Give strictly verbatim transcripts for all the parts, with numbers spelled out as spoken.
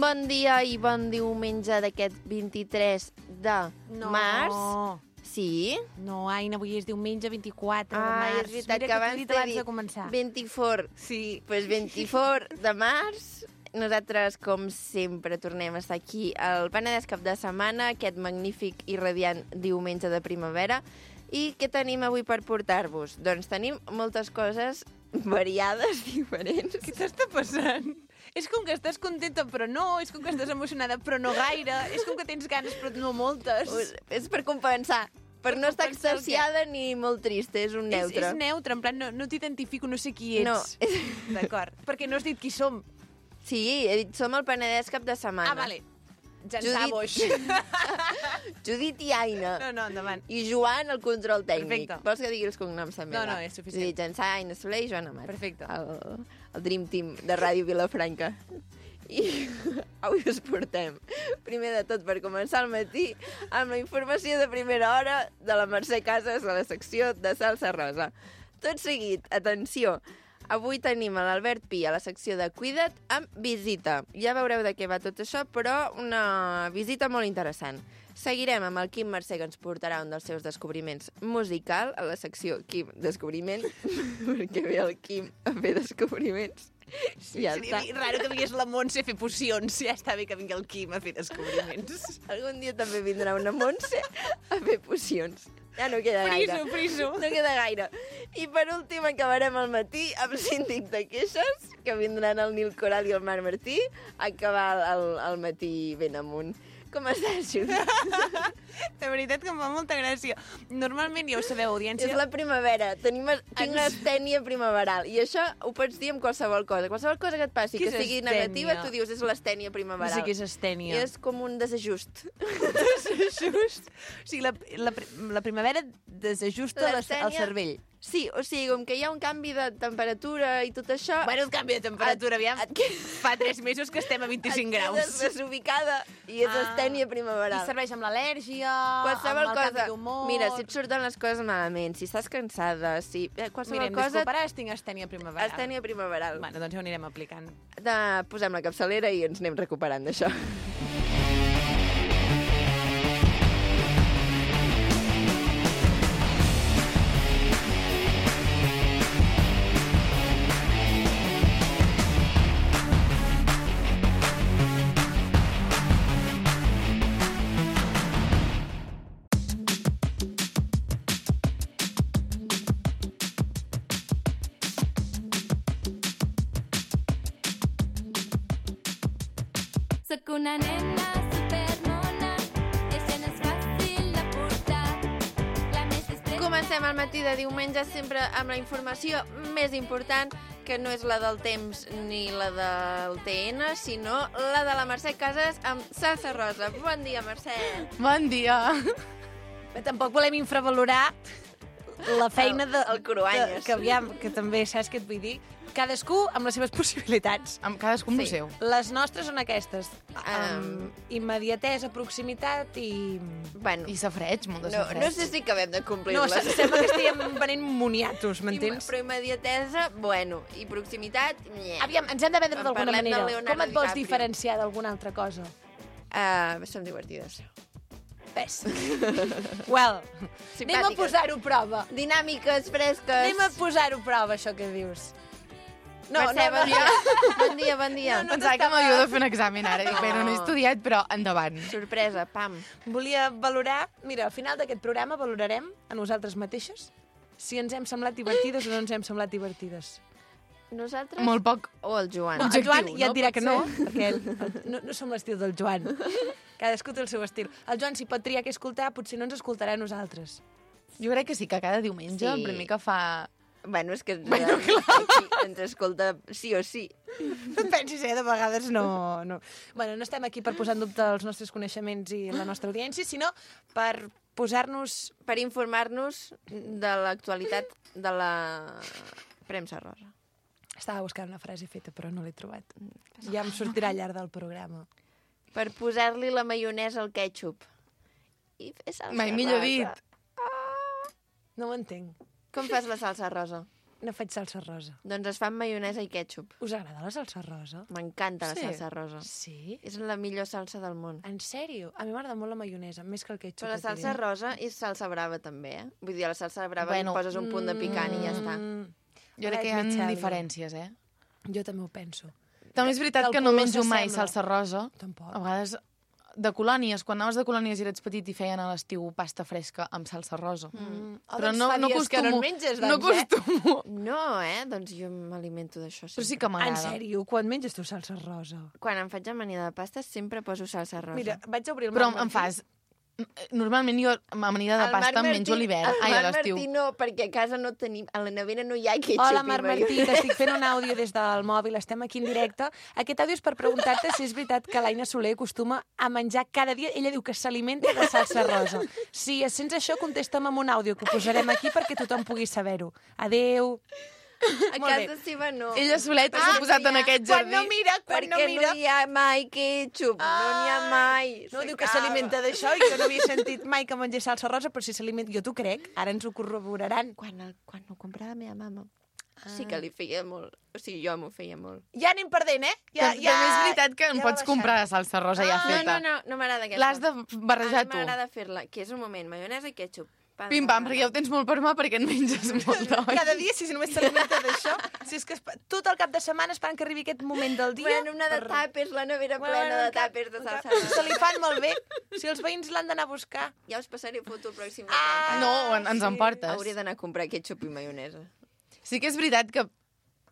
Bon dia i bon diumenge d'aquest vint-i-tres de no. març. Sí? No, Aina, avui és diumenge vint-i-quatre de Ai, març. és veritat Mira que abans t'he dit t'he abans dit de començar. vint-i-quatre. Sí. Doncs pues vint-i-quatre de març. Nosaltres, com sempre, tornem a estar aquí al Penedès cap de setmana, aquest magnífic i radiant diumenge de primavera. I què tenim avui per portar-vos? Doncs tenim moltes coses variades, diferents. Què t'està passant? És com que estàs contenta, però no. És com que estàs emocionada, però no gaire. És com que tens ganes, però no moltes. És per compensar. Per, per no estar extasiada ni molt trista, és un neutre. És, és neutre, en plan, no, no t'identifico, no sé qui ets. No. D'acord. Perquè no has dit qui som. Sí, he dit, som el Penedès cap de setmana. Ah, vale. Llançar boix. Judit i Aina. No, no, endavant. I Joan, el control tècnic. Perfecte. Vols que digui els cognoms també? No, va? no, és suficient. Judit Llançà, Aina Soler i Joan Amat. Perfecte. El, el Dream Team de Ràdio Vilafranca. I avui us portem, primer de tot, per començar el matí, amb la informació de primera hora de la Mercè Casas a la secció de Salsa Rosa. Tot seguit, atenció, avui tenim a l'Albert Pi a la secció de Cuida't amb visita. Ja veureu de què va tot això, però una visita molt interessant. Seguirem amb el Quim Mercè, que ens portarà un dels seus descobriments musical a la secció Quim Descobriment, perquè ve el Quim a fer descobriments. Sí, ja seria està. Raro que vingués la Montse a fer pocions. Ja està bé que vingui el Quim a fer descobriments. Algun dia també vindrà una Montse a fer pocions. Ja no queda gaire. Friso, friso. No queda gaire. I per últim acabarem el matí amb síndic de queixes, que vindran el Nil Coral i el Marc Martí a acabar el, el matí ben amunt. Com estàs, Judit? De veritat que em fa molta gràcia. Normalment, ja ho sabeu, audiència... És la primavera. Tenim, tinc l'estènia primaveral. I això ho pots dir amb qualsevol cosa. Qualsevol cosa que et passi, que sigui negativa, tu dius és l'estènia primaveral. No sé què és estènia. I és com un desajust. Desajust? O sigui, la, la, la primavera desajusta el cervell. Sí, o sigui, com que hi ha un canvi de temperatura i tot això... Bueno, un canvi de temperatura, aviam. Et... Fa tres mesos que estem a vint-i-cinc graus. Et quedes desubicada i és ah. estènia primaveral. I serveix amb l'al·lèrgia, qualsevol amb el cosa. canvi d'humor... Mira, si et surten les coses malament, si estàs cansada, si... Qualsevol Mira, em cosa... disculparàs, tinc estènia primaveral. Estènia primaveral. Bueno, doncs ja ho anirem aplicant. De... Posem la capçalera i ens anem recuperant d'això. Soc una nena supermona, i això no és fàcil de portar. La més discreta... Comencem el matí de diumenge sempre amb la informació més important, que no és la del temps ni la del T N, sinó la de la Mercè Casas amb Salsa Rosa. Bon dia, Mercè. Bon dia. Però tampoc volem infravalorar la feina de... El, el Cruanyes. De, que, aviam, que també saps què et vull dir. Cadascú amb les seves possibilitats. Amb cadascú amb sí. el seu. Les nostres són aquestes. Um, um, immediatesa, proximitat i... Bueno, I safreig, molt de no, safreig. no sé si acabem de complir-les. No, sembla que estiguem venent moniatos, m'entens? Però immediatesa, bueno, i proximitat... Nye. Aviam, ens hem de vendre d'alguna manera. Com et vols DiCaprio. diferenciar d'alguna altra cosa? Uh, som divertides. Ves. Well, anem a posar-ho a prova. Dinàmiques, fresques. Anem a posar-ho a prova, això que dius. No, Mercè, no, bon dia. Bon dia, bon dia. No, no Pensava que m'havia de fer un examen ara. Dic, bé, no, no he estudiat, però endavant. Sorpresa, pam. Volia valorar... Mira, al final d'aquest programa valorarem a nosaltres mateixes si ens hem semblat divertides o no ens hem semblat divertides. Nosaltres? Molt poc. O el Joan? No, el Joan ja et dirà no? que no, perquè el, el, no, no som l'estil del Joan. Cadascú té el seu estil. El Joan, si pot triar què escoltar, potser no ens escoltarà a nosaltres. Jo crec que sí, que cada diumenge, Sí. el primer que fa... Bueno, és que Bueno, aquí ens escolta sí o sí. No et pensis, eh? De vegades no, no... Bueno, no estem aquí per posar en dubte els nostres coneixements i la nostra audiència, sinó per posar-nos... Per informar-nos de l'actualitat de la premsa rosa. Estava buscant una frase feta, però no l'he trobat. Ja em sortirà al llarg del programa. Per posar-li la maionesa al ketchup. I fer salsa Mai millor rosa. dit. No ho entenc. Com fas la salsa rosa? ne faig salsa rosa. Doncs es fa amb maionesa i ketchup. Us agrada la salsa rosa? M'encanta la Sí. salsa rosa. Sí? És la millor salsa del món. En sèrio? A mi m'agrada molt la maionesa, més que el ketchup. Però la et diré. salsa rosa és salsa brava, també, eh? Vull dir, a la salsa brava Bueno, li poses un punt de picant i ja està. Mm, Jo crec que hi ha Veig, Michelle. diferències, eh? Jo també ho penso. També és veritat Que el que no color menjo mai s'assembla. salsa rosa. Tampoc. A vegades de colònies, quan anaves de colònies i eres petit i feien a l'estiu pasta fresca amb salsa rosa. Mm. Oh, Però doncs no, fa no dies que no acostumo. en menges, no doncs, eh? acostumo. No, eh? Doncs jo m'alimento d'això sempre. Però sí que En m'agrada. sèrio, quan menges tu salsa rosa? Quan em faig amanida de pasta sempre poso salsa rosa. Mira, vaig obrir el Però Marc em Martí. fas... Normalment jo amanida de El pasta Marc em menjo a Martí- l'hivern. el Ai, a Marc l'estiu. Martí no, perquè a casa no tenim... A la nevera no hi ha ketchup Hola, i Marc maionesa. Martí, t'estic fent un àudio des del mòbil, estem aquí en directe. Aquest àudio és per preguntar-te si és veritat que l'Aina Soler acostuma a menjar cada dia. Ella diu que s'alimenta de salsa rosa. Si es sents això, contesta'm amb un àudio, que ho posarem aquí perquè tothom pugui saber-ho. Adéu. A Molt bé. casa seva no. Ella soleta s'ha posat en aquest Quan jardí. no mira, quan perquè no mira... no hi ha mai ketchup, no n'hi ha mai. No, diu que S'acaba. s'alimenta d'això i que no havia sentit mai que mengés salsa rosa, però si s'alimenta... Jo t'ho crec, ara ens ho corroboraran. Quan, el, quan ho comprava la meva mama, sí que li feia molt. O sigui, jo m'ho feia molt. Ja anem perdent, eh? Ja, Ja, També és veritat que ja em va pots baixant. comprar la salsa rosa ja No, feta. no, no, no m'agrada aquesta. L'has de barrejar A tu. mi m'agrada fer-la, que és un moment, maionesa i ketchup. Pam, Pim-pam, pam, perquè ja ho tens molt per mà perquè en menges molt, oi? Cada dia, si només s'alimenta d'això, si és que es... tot el cap de setmana esperant que arribi aquest moment del dia... Bueno, una de per- tàpers, la nevera Bueno, plena de un cap- tàpers de un cap- salsa. Se li fan molt bé. Si els veïns l'han d'anar a buscar. Ja us passaré foto el pròxim Ah, weekend. No, en- ens en sí. portes. Hauria d'anar a comprar ketchup i maionesa. Sí que és veritat que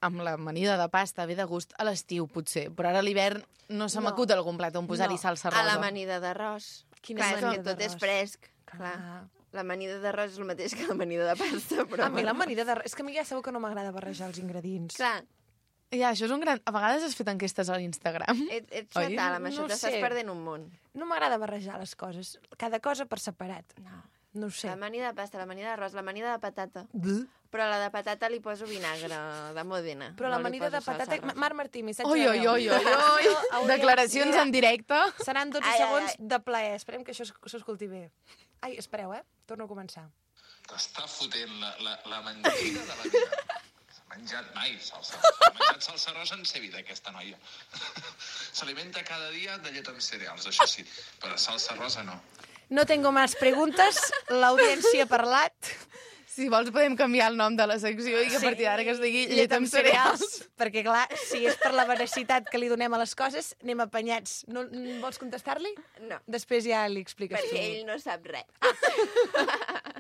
amb l'amanida de pasta ve de gust a l'estiu, potser, però ara a l'hivern no se No. m'acut algun plat on posar-hi No. salsa A rosa. l'amanida d'arròs. Quina Clar, és amanida que tot és d'arròs? fresc. Clar. Ah. L'amanida d'arròs és el mateix que l'amanida de pasta, però... A mi l'amanida de... És que a mi ja sabeu que no m'agrada barrejar els ingredients. Clar, Ja, això és un gran... A vegades has fet enquestes a l'Instagram. et, ets Oi? fatal, amb això No ho t'estàs sé. perdent un món. No m'agrada barrejar les coses. Cada cosa per separat. No. No ho sé. L'amanida de pasta, l'amanida d'arròs, l'amanida de patata. Buh. Però a la de patata li poso vinagre de Modena. Però no li l'amanida poso de patata... salsa rosa. Marc Martí, missatge Oi, de oi, veu. oi, oi, oi. Hauríem- Declaracions Mira, en directe. Seran dotze Ai, ai, segons ai. de plaer. Esperem que això es- s'escolti bé. Ai, espereu, eh? Torno a començar. T'està fotent la, la, la mentida de la vida. S'ha menjat mai salsa rosa. Ha menjat salsa rosa en sa vida, aquesta noia. S'alimenta cada dia de llet amb cereals, això sí, però salsa rosa no. No tengo más preguntes. L'audiència ha parlat. Si vols podem canviar el nom de la secció i que a partir d'ara que es digui llet amb cereals. Perquè, clar, si és per la veracitat que li donem a les coses, anem apanyats. No, n- vols contestar-li? No, Després ja li expliques perquè tu. ell no sap res.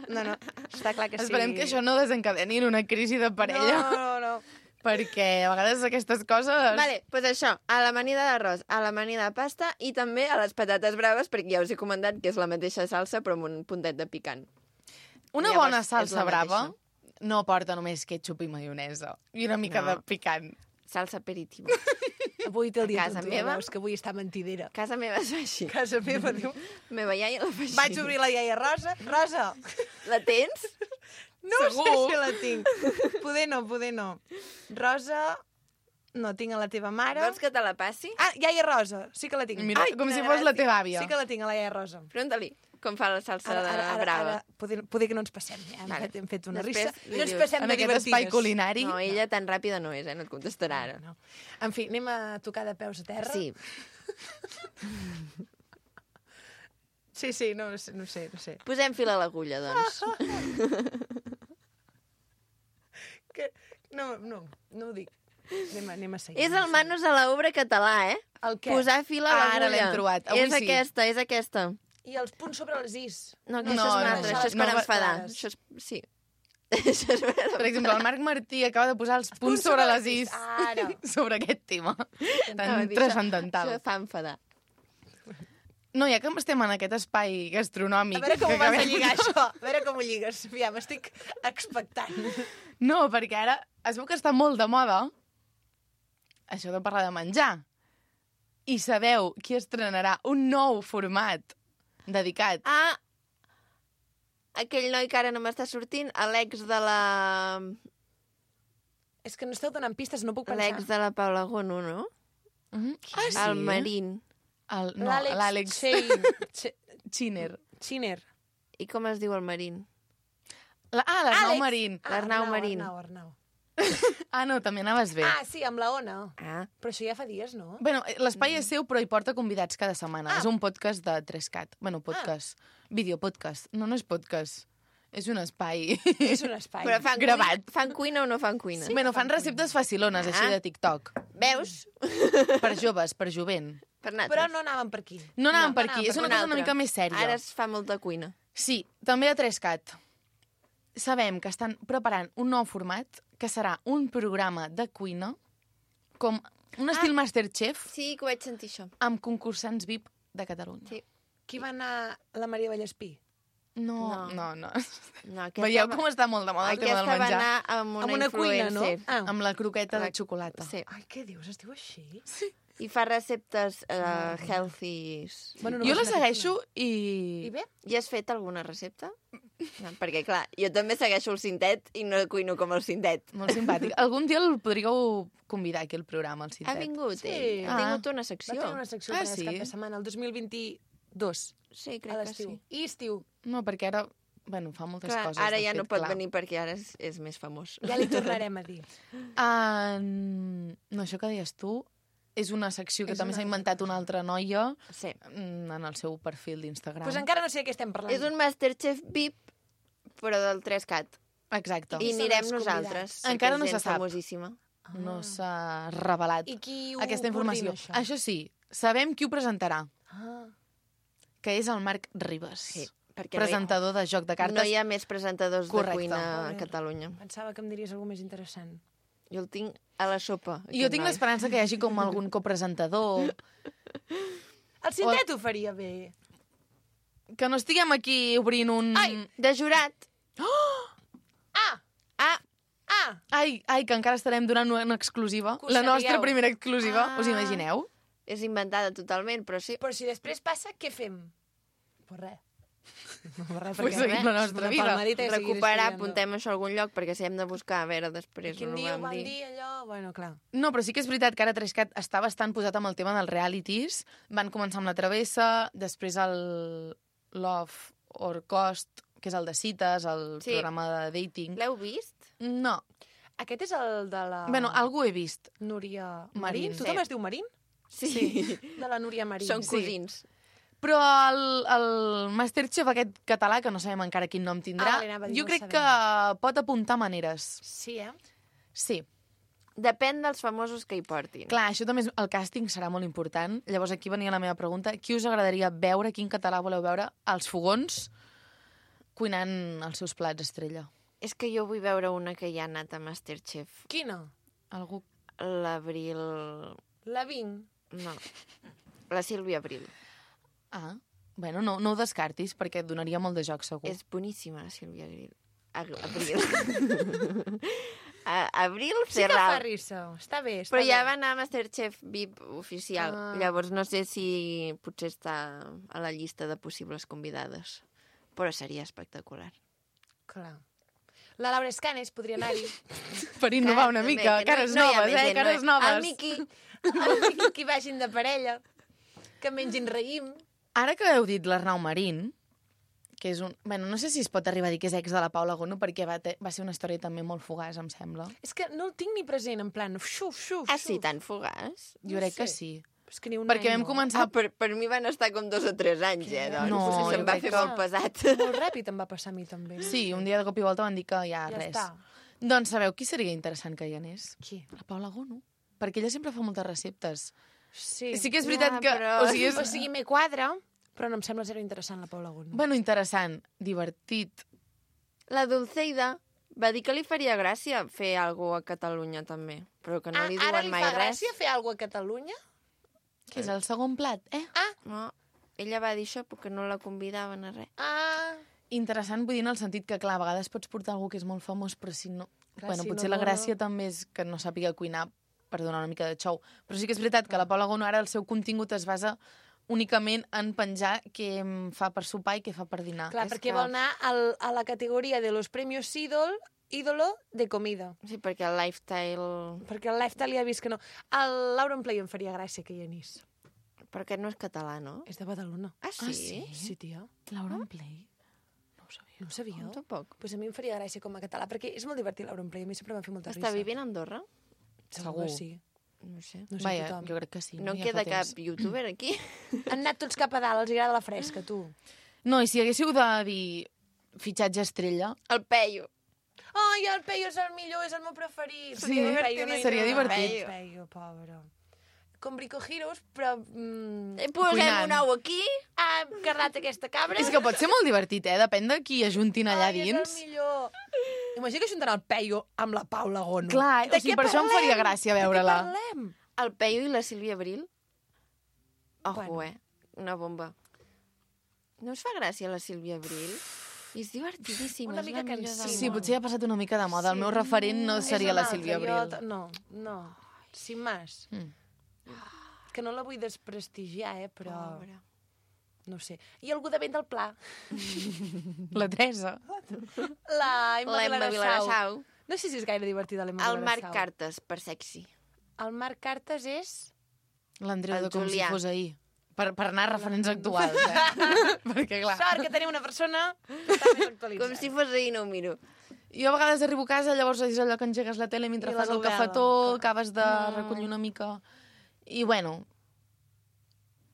No, no, està clar que sí. Esperem que això no desencadeni en una crisi de parella. No, no, no. Perquè a vegades aquestes coses... Vale, doncs pues això, a l'amanida d'arròs, a l'amanida de pasta i també a les patates braves, perquè ja us he comentat que és la mateixa salsa però amb un puntet de picant. Una Llavors, bona és salsa la brava mateixa. no porta només ketchup i maionesa. I una mica No. de picant. Salsa aperitivo. Avui té el dia casa tonto, meva? veus que avui està mentidera. Casa meva és així. Casa meva diu... Meva iaia la fa així. Vaig obrir la iaia Rosa. Rosa, La tens? no Segur. sé si la tinc. Poder no, poder no. Rosa, no tinc a la teva mare. Vols que te la passi? Ah, iaia Rosa, sí que la tinc. Mira, Ai, com quina si fos la gràcia. teva àvia. Sí que la tinc, a la iaia Rosa. Pregunta-li com fa la salsa de brava. poder, poder que no ens passem. Ja hem, Vale. fet, hem fet una Després rissa. li No ens dius, passem En de aquest divertides. espai culinari. No, ella tan ràpida no és, eh? No et contestarà ara. No. En fi, anem a tocar de peus a terra. Sí. Sí, sí, no, no sé, no sé. No sé. Posem fil a l'agulla, doncs. Que... No, no, no ho dic. Anem, a- anem a seguir. És el manos a l'obra català, eh? El què? Posar fil a Ara l'agulla. l'hem trobat. Avui És sí. aquesta, és aquesta. I els punts sobre els is. No, que No, això és una no, altra, no, això és no per va- enfadar. clares. Això és... Sí. Això és per Per exemple, el Marc Martí acaba de posar els punts sobre les is Ara. sobre aquest tema No, tan dir, transcendental. Això fa enfadar. No, ja que estem en aquest espai A gastronòmic... veure com que ho vas a acabem- lligar, això. A veure com ho lligues. Aviam, estic expectant. No, perquè ara es veu que està molt de moda això de parlar de menjar. I sabeu qui estrenarà un nou format dedicat... Ah, aquell noi que ara no m'està sortint, l'ex de la... És que no esteu donant pistes, no puc pensar. L'ex de la Paula Gono, no? Mm -hmm. Ah, sí? El Marín. El, no, L'Àlex l'Àlex Chein- Che- Chiner. Chiner. I com es diu el Marín? La, ah, l'Arnau Àlex. Marín. Ah, L'Arnau Arnau, Marín. Arnau, Arnau. Ah, no, també anaves bé. Ah, sí, amb la Ona. Ah, Però això ja fa dies, no? Bueno, l'espai és seu, però hi porta convidats cada setmana. Ah. És un podcast de tres cat. Bueno, podcast. Ah. Videopodcast. No, no és podcast. És un espai. És un espai. però fan, Gravat. Cuina, fan cuina o no fan cuina? Sí, bueno, fan receptes facilones, així Ah. de TikTok. Veus? Per joves, per jovent. Per nosaltres. Però no anàvem per aquí. No anàvem No, per no aquí, anàvem és per una una cosa una altra. mica més sèria. Ara es fa molta cuina. Sí, també a tres cat. Sabem que estan preparant un nou format, que serà un programa de cuina, com un estil Ah. Masterchef, Sí, que ho vaig sentir, això. amb concursants V I P de Catalunya. Sí. Qui va anar la Maria Vallespí? No, No. no, no. No, aquesta Veieu va- com està molt de moda el tema Aquesta del va menjar? anar amb una, Amb una cuina, no? influencer. Ah. Amb la croqueta La- de xocolata. Sí. Ai, què dius? Es diu així? I fa receptes uh, healthy. Bueno, Jo la vas anar segueixo I i... bé? I has fet alguna recepta? No, perquè, clar, jo també segueixo el Cintet i no cuino com el Cintet. Molt simpàtic. Algun dia el podríeu convidar aquí al programa, el Ha Cintet. vingut, Sí. ell. Ha Ah. tingut una Va secció. tenir una secció Ah, ah, sí? cap de setmana, el dos mil vint-i-dos, Sí, a crec que l'estiu. sí. I estiu. No, perquè ara... Bueno, fa moltes Clar, coses. ara de ja fet, no pot clar. venir perquè ara és, és més famós. Ja li tornarem a dir. Uh, no, això que deies tu és una secció que És també una s'ha inventat una altra noia Sí. mm, en el seu perfil d'Instagram. Doncs pues encara no sé de què estem parlant. És un Masterchef V I P, però del tres cat. Exacte. I són anirem els nosaltres. convidats? Encara perquè no és se gent sap. famosíssima. No s'ha revelat I qui ho aquesta informació. coordina, això? Això sí, sabem qui ho presentarà, Ah. que és el Marc Ribas, Sí, perquè presentador de Joc de no Cartes. hi, no hi ha més presentadors Correcte. de cuina a Joder. Catalunya. Pensava que em diries alguna més interessant. Jo el tinc a la sopa. I jo aquest tinc noi. l'esperança que hi hagi com algun copresentador, El Cintet ho faria bé. que no estiguem aquí obrint un... Ai, de jurat. Ah! Ah, Ah! Ai, ai, que encara estarem donant una exclusiva. Que ho La nostra sabíeu. primera exclusiva, Ah. us imagineu? és inventada totalment, però sí. Però si després passa, què fem? Pues res. No, res, Pues perquè seguim res, la nostra una vida. palmadita i seguir Recuperar, estudiant. apuntem això a algun lloc, perquè si hem de buscar, a veure, després Quin no ho dia ho vam van dir. dir, allò? Bueno, clar. No, però sí que és veritat que ara Trescat està bastant posat amb el tema dels realities. Van començar amb La Travessa, després el Love or Cost, que és el de cites, el Sí. programa de dating. L'heu vist? No. Aquest és el de la... Bueno, algú he vist. Núria Marín. Marín. Tothom Sí. es diu Marín? Sí. De la Núria Marín. Són Sí. cosins. Però el, el Masterchef aquest català, que no sabem encara quin nom tindrà, Ah, vale, anava a dir, jo no crec sabem. que pot apuntar maneres. Sí, eh? Sí. Depèn dels famosos que hi portin. Clar, això també és... El càsting serà molt important. Llavors aquí venia la meva pregunta. Qui us agradaria veure, quin català voleu veure, als fogons, cuinant els seus plats estrella? És que jo vull veure una que ja ha anat a Masterchef. Quina? Algú... L'Abril... La Ving. No. La Sílvia Abril. Ah, bueno, no, no ho descartis, perquè et donaria molt de joc, segur. És boníssima, la Sílvia Abril. Ag- Abril. A- Abril Sí que fa Serral. risa. Està bé, està Però ja bé. va anar a Masterchef V I P oficial. Ah. Llavors no sé si potser està a la llista de possibles convidades. Però seria espectacular. Clar. La Laura Escanes podria anar-hi. Per innovar una També, mica, que no- cares no hi ha noves, més eh? gent, no Cares hi- noves. El Miqui. El Miqui, que vagin de parella. Que mengin raïm. Ara que heu dit l'Arnau Marín, que és un... Bueno, no sé si es pot arribar a dir que és ex de la Paula Gono, perquè va, te... va ser una història també molt fugaç, em sembla. És que no el tinc ni present, en plan, xuf, xuf, Ah, sí, xuf. tan fugaç? Jo No crec que sé. sí. És que ni un Perquè any, vam no. començar... Ah, per, per mi van estar com dos o tres anys, eh? Doncs. No, Potser jo se'm va crec fer que- molt pesat. Molt ràpid em va passar a mi, també. Sí, un dia de cop i volta van dir que ja, Ja res. està. Doncs sabeu qui seria interessant que hi anés? Qui? La Paula Gono. Perquè ella sempre fa moltes receptes. Sí. Sí que és veritat Ja, que... però- O sigui, és... O sigui, me quadra, però no em sembla zero interessant la Paula Gono. Bueno, interessant, divertit. La Dulceida va dir que li faria gràcia fer alguna cosa a Catalunya, també. Però que no ah, li ara diuen li mai fa res. gràcia fer alguna cosa a Catalunya? Que és el segon plat, eh? No, ella va dir això perquè no la convidaven a res. Ah, Interessant, vull dir, en el sentit que, clar, a vegades pots portar algú que és molt famós, però si no... Clar, bueno, si potser no la vola. gràcia també és que no sàpiga cuinar per donar una mica de xou. Però sí que és veritat que la Paula Gono ara el seu contingut es basa únicament en penjar què em fa per sopar i què fa per dinar. clar, és perquè que- vol anar al, a la categoria de los premios ídol, ídolo de comida. Sí, perquè el lifestyle... Perquè el lifestyle ja he vist que no. El Laura Play em faria gràcia que hi anís. Perquè no és català, no? És de Badalona. Ah, sí? Ah, sí? Sí, tia. Laura en Play? No ho sabia. No ho sabíeu? Tampoc. Pues a mi em faria gràcia com a català, perquè és molt divertit l'Auronplay, a mi sempre m'ha fet molta risa. Està vivint a Andorra? Segur. Segur. que sí. No sé. No sé Vaja, tothom. jo crec que sí. No en Ja queda fa cap temps. youtuber aquí? Han anat tots cap a dalt, els agrada la fresca, tu. No, i si haguéssiu de dir fitxatge estrella, El Peyu. Ai, el Peyu és el millor, és el meu preferit. Sí, El Peyu no hi seria ha. divertit. El Peyu, pobre. Com Brico Heroes, però... Mm, Eh, Posem Cuinant. un ou aquí. ha cardat aquesta cabra. és que pot ser molt divertit, eh? Depèn de qui ajuntin allà Ai, dins. és el millor. Imagina que ajuntaran el Peyu amb la Paula Gono. Clar, De o sigui, què per això em parlem? faria gràcia veure-la. De què parlem? El Peyu i la Sílvia Abril. Ojo, Bueno. eh? Una bomba. No us fa gràcia la Sílvia Abril? I és divertidíssima. Una és mica la millor del cansina. Sí, món. potser ha passat una mica de moda. El meu referent no És seria una la altra, Sílvia jo Abril. t- No, no. Sin más. Mm. Que no la vull desprestigiar, eh, però... Pobre. No sé. I algú de vent del Pla. La Teresa. La Emma L'Emma Vilarassau. Vilarassau. No sé si és gaire divertida l'Emma El Marc Vilarassau. Cartes, per sexy. El Marc Cartes és... L'Andreu El de com Julià. si fos ahir. Per, per anar a referents actuals, eh? Perquè, clar... Sort que tenim una persona que està més actualitzada. Com si fos ahir, no ho miro. Jo a vegades arribo a casa, llavors és allò que engegues la tele mentre I la fas el novel·la. cafetó, acabes de Mm. recollir una mica... I, bueno,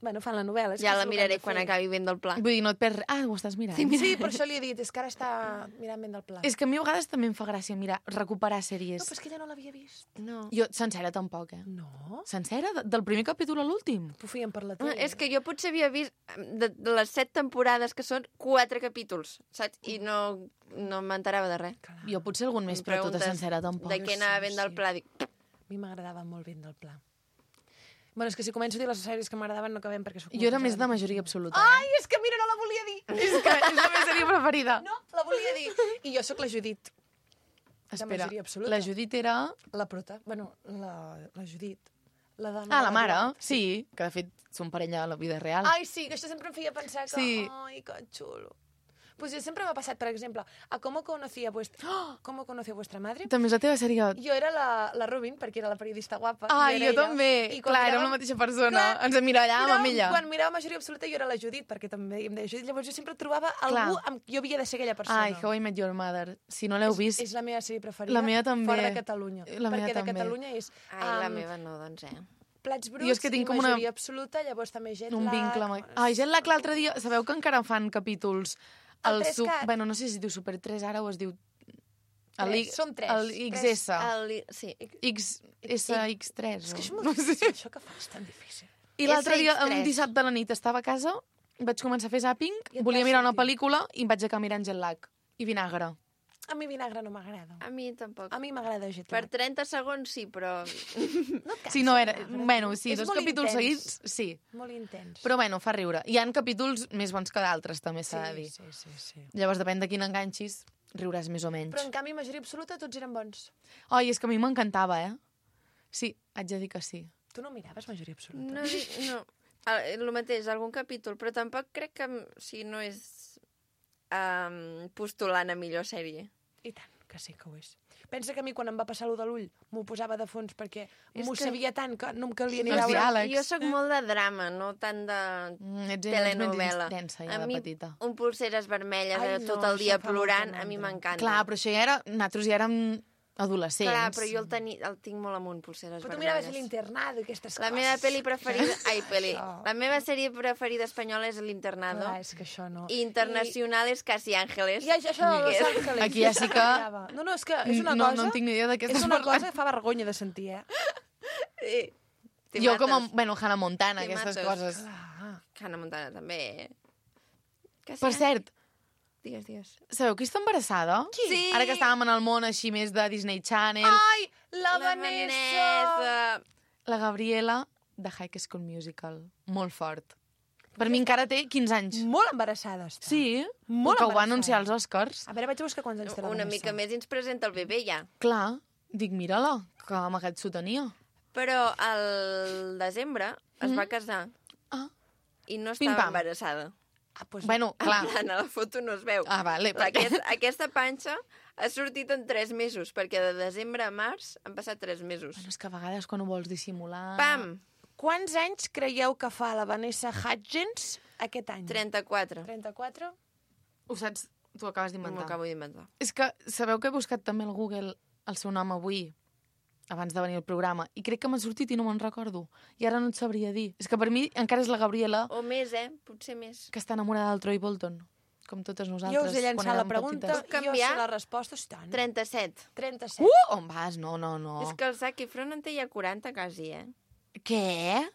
Bueno, fan la novel·la. és Ja que la és el que miraré han de quan fer. acabi ben del pla. vull dir, no et perds... Ah, ho estàs mirant. Sí, per això li he dit. És que ara està mirant vent del Pla. És que a mi a vegades també em fa gràcia mirar, recuperar No, sèries. però és que ella no l'havia vist. No. Jo, sencera tampoc, eh? No? Sencera? De- Del primer capítol a l'últim? Ho feien per la No, tele. és que jo potser havia vist de, de les set temporades que són quatre capítols, saps? I no, no m'enterava de res. Clar. Jo potser algun més, Em però tota preguntes sencera tampoc. De què sí, anava ben del sí. pla? Dic, A mi m'agradava molt vent del Pla. Bueno, és que si començo a dir les sèries que m'agradaven no acabem perquè sóc Jo era molt més de pesada. majoria absoluta. Ai, és que mira, no la volia dir. És que és la meva sèrie preferida. No, la volia dir. I jo sóc la Judit, Espera, majoria absoluta. la Judit era... la prota. Bueno, la, la Judit. La dona Ah, de la mare, Eduard. sí, que de fet són parella a la vida real. Ai, sí, que això sempre em feia pensar que... Sí. Ai, que xulo. Pues jo sempre m'ha passat, per exemple, a ¿Cómo conocía vuestra, ¿Cómo conoció vuestra madre? També és la teva sèrie... Jo era la, la Robin, perquè era la periodista guapa. Ai, i jo era ella. també. I quan Clar, érem miràvem- la mateixa persona. Clar, Ens emmirallàvem Però amb ella. Quan mirava majoria absoluta jo era la Judit, perquè també em deia Judit. Llavors jo sempre trobava algú Clar. amb qui jo havia de ser aquella persona. Ai, How I Met Your Mother. Si no l'heu vist... És, és la meva sèrie preferida. La meva també. Fora de Catalunya. La meva perquè de també. Catalunya és ai, la um, meva no, doncs, eh. plats bruts Jo és que tinc i com una- majoria absoluta, llavors també jet un lag. vincle amb... Ai, Jet Lag l'altre dia... Sabeu que encara fan capítols... El El tres su... cat. Bueno, no sé si es diu Super tres ara o es diu... El Tres, I- són tres. El X S. El, sí. X S X tres. És que és o- molt no difícil, sé. això que fas, tan difícil. I l'altre dia, S X tres. un dissabte a la nit, estava a casa, vaig començar a fer zàping, I et volia va mirar una sortir. pel·lícula i em vaig acabar mirant Jet Lag. I vinagre. A mi vinagre no m'agrada. A mi tampoc. A mi m'agrada jet Per lag. trenta segons sí, però... No et Si no era... cansa, Bueno, sí, És dos molt capítols intens. seguits, sí. Molt intens. Però bueno, fa riure. Hi han capítols més bons que d'altres, també s'ha de dir. sí, sí, sí. Llavors, depèn de quin enganxis, riuràs més o menys. Però en canvi, majoria absoluta, tots eren bons. Ai, és que a mi m'encantava, eh? Sí, haig de dir que sí. Tu no miraves majoria absoluta? No, dic- no. El, el mateix, algun capítol, però tampoc crec que o sigui, no és um, postulant a millor sèrie. I tant, que sí que ho és. Pensa que a mi quan em va passar allò de l'ull m'ho posava de fons perquè És m'ho que- sabia tant que no em calia ni Els veure. diàlegs. Jo sóc molt de drama, no tant de Mm, ets, ets telenovela. més densa ja a de mi, petita. un pulseres vermelles Ai, eh, no, tot el dia això fa plorant, molta a mi mandra. m'encanta. Clar, però això ja era... Nosaltres ja érem adolescents. Clar, però jo el, teni, el tinc molt amunt, pulseres Però tu miraves vermelles. l'internado i aquestes La coses. meva pel·li preferida... Ai, pel·li. Això. La meva sèrie preferida espanyola és L'Internado. Clar, és que això no. I internacional és Casi Ángeles. I, i això de Los que- Ángeles. Aquí ja sí que- Mirava. No, no, és que és una no, cosa... no en tinc ni idea de què és estàs una parlant. cosa que fa vergonya de sentir, eh? Sí. Te Jo com a, mates. bueno, Hannah Montana, Te aquestes mates. coses. Clar. Hannah Montana també. eh? Casi Per Ángeles. cert, Digues, digues. sabeu qui està embarassada? Qui? Sí. Ara que estàvem en el món així més de Disney Channel, Ai, la, Vanessa! Vanessa. la Gabriela de High School Musical. Molt fort. Per mi encara té quinze anys. Molt embarassada està. Sí, Molt que ho va embarassada. anunciar als Oscars. A veure, vaig a buscar quants anys té la Una Vanessa. mica més i ens presenta el bebè ja. Clar, dic, mira-la, que amagat s'ho tenia. Però al desembre es va casar Ah, i no Pim, estava pam. embarassada. Ah, pues, bueno, clar. En plan, a la foto no es veu. Ah, vale. La, aquest, aquesta panxa ha sortit en tres mesos, perquè de desembre a març han passat tres mesos. Bueno, és que a vegades quan ho vols dissimular... Pam! Quants anys creieu que fa la Vanessa Hudgens aquest any? trenta-quatre. trenta-quatre? Ho saps? T'ho acabes M'ho d'inventar. acabo d'inventar. És que sabeu que he buscat també al Google el seu nom avui, abans de venir al programa, i crec que m'ha sortit i no me'n recordo. I ara no et sabria dir. És que per mi encara és la Gabriela O més, eh? Potser més. que està enamorada del Troy Bolton, com totes nosaltres. Jo us he quan llançat la érem pregunta, petites. Puc jo canviar? sé la resposta, sí, tant. trenta-set. trenta-set. Uh! On vas? No, no, no. És que el Zac Efron en té ja quaranta quasi, eh? Què?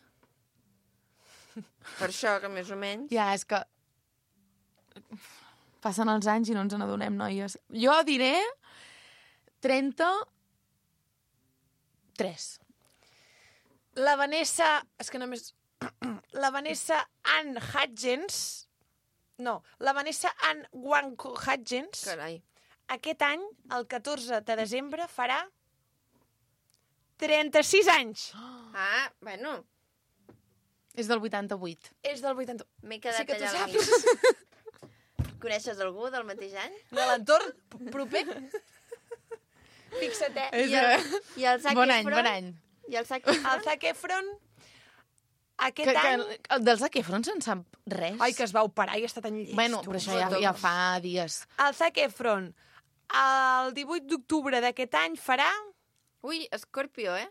Per això, que més o menys... Ja, és que... Passen els anys i no ens n'adonem, noies. Jo diré trenta-tres. La Vanessa... És que només... La Vanessa Ann Hudgens... No, la Vanessa Ann Wanko Hudgens Carai. aquest any, el catorze de desembre, farà trenta-sis anys. Ah, bueno, És del vuitanta-vuit. És del vuitanta... m'he quedat Sí que tu allà al saps. mig. Coneixes algú del mateix any? De l'entorn p- proper. Fixa't, eh? És I el, eh? i el Zac Bon any, Efron? bon any. I el Zac El Efron? Zac Efron, aquest Que, que, any... el del Zac Efron se'n sap res. Ai, que es va operar i està tan llest. Bueno, però això ja, ja fa dies. El Zac Efron, el divuit d'octubre d'aquest any, farà... Ui, Escorpio, eh?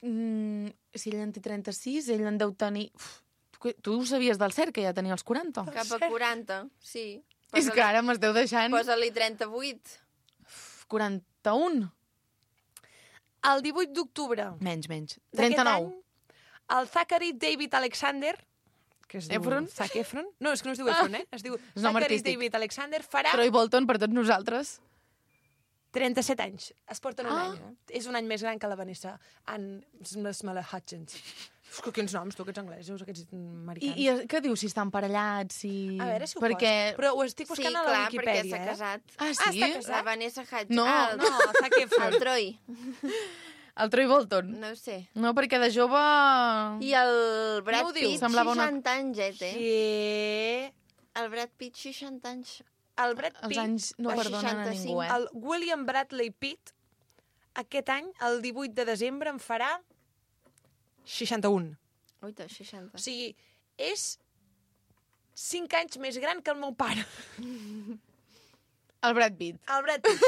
Mm, si ell en té trenta-sis, ell en deu tenir... Uf, tu, tu ho sabies del cert, que ja tenia els quaranta? Cap a quaranta, sí. És que ara m'esteu deixant... Posa-li trenta-vuit. quaranta-un? El divuit d'octubre Menys, menys. d'aquest trenta-nou. any, el Zachary David Alexander, que es diu Efron? Zac Efron... No, és que no es diu Efron, eh? Es diu És nom Zachary artístic. David Alexander, farà Troy Bolton per tots nosaltres. trenta-set anys. Es porten un Ah. any. Eh? És un any més gran que la Vanessa Ann Smala Hutchins. És que quins noms, tu, aquests anglesos, aquests I, americans. I què diu, si estan parellats? Si... A veure si ho Perquè... posa. Però ho estic Sí, buscant a la clar, perquè Wikipedia, s'ha eh? casat. Ah, Ah, sí? està casat. La Vanessa Hudgens. No, ah, el, No, el Zac Efron. el Troy. El Troy Bolton. No ho sé. No, perquè de jove... I el Brad No ho diu. Pitt, Semblava una- seixanta anys, eh, té. Sí. El Brad Pitt, seixanta anys. El Brad Els Pitt, anys no el perdonen a seixanta-cinc. ningú, eh? el William Bradley Pitt, aquest any, el divuit de desembre, en farà seixanta-un. Ui, té seixanta. O sigui, és cinc anys més gran que el meu pare. El Brad Pitt. El Brad Pitt.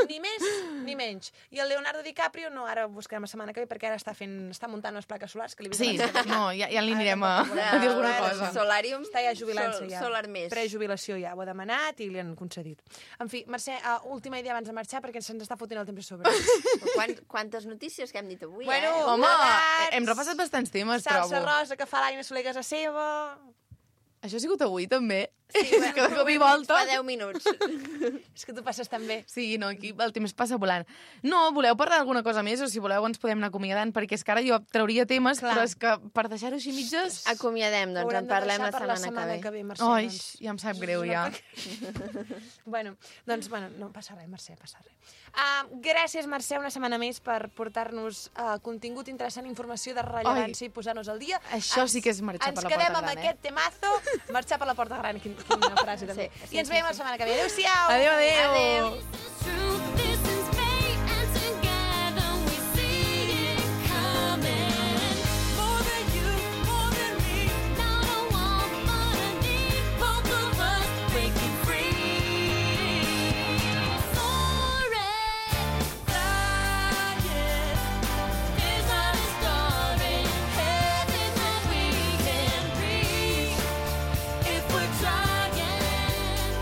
Ni més ni menys. I el Leonardo DiCaprio, no, ara ho buscarem la setmana que ve, perquè ara està fent, està muntant unes plaques solars que li he vist Sí, abans que no, ja, ja li anirem a, a dir alguna Ara, cosa. Solarium. està ja jubilant-se Sol, ja. Solar més. Prejubilació ja, ho ha demanat i li han concedit. En fi, Mercè, uh, última idea abans de marxar perquè se'ns està fotent el temps a sobre. Quan, quantes notícies que hem dit avui, Bueno, eh? Home, Plegats. hem repassat bastants temes, Salsa trobo. rosa que fa l'Aina Soler a casa seva. Això ha sigut avui, també. Sí, És que de cop i volta... Fa deu minuts. És que tu passes tan bé. Sí, no, aquí el temps passa volant. No, voleu parlar d'alguna cosa més o si voleu ens podem anar acomiadant, perquè és que ara jo trauria temes, Clar. però és que per deixar-ho així mitges... Acomiadem, doncs Haurem en de parlem deixar la per setmana, que ve. Mercè, Ai, doncs. ja em sap greu, ja. Bueno, doncs, bueno, no passa res, Mercè, passa res. Uh, gràcies, Mercè, una setmana més per portar-nos uh, contingut interessant, informació de rellevància i posar-nos al dia. Això sí que és marxar per la porta Ens quedem gran, amb eh? aquest temazo, marxar per la porta gran, quin, quina frase també. Sí, sí, I ens sí, veiem sí. la setmana que ve. Adéu-siau! Adéu, adéu! Adéu. True, this is fate, and together we see it coming. More than you, more than me. Not a want, but a need. Both of us breaking free. Soaring, flying is our story. Heaven that we can reach if we're trying.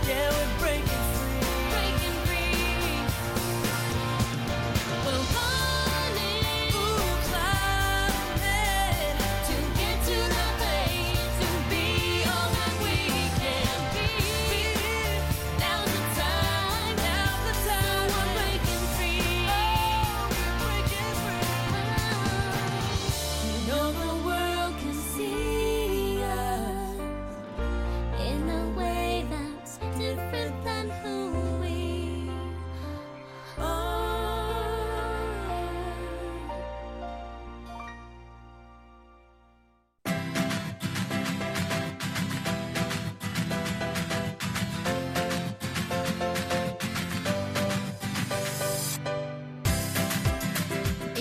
Yeah, we're breaking free. Breaking free.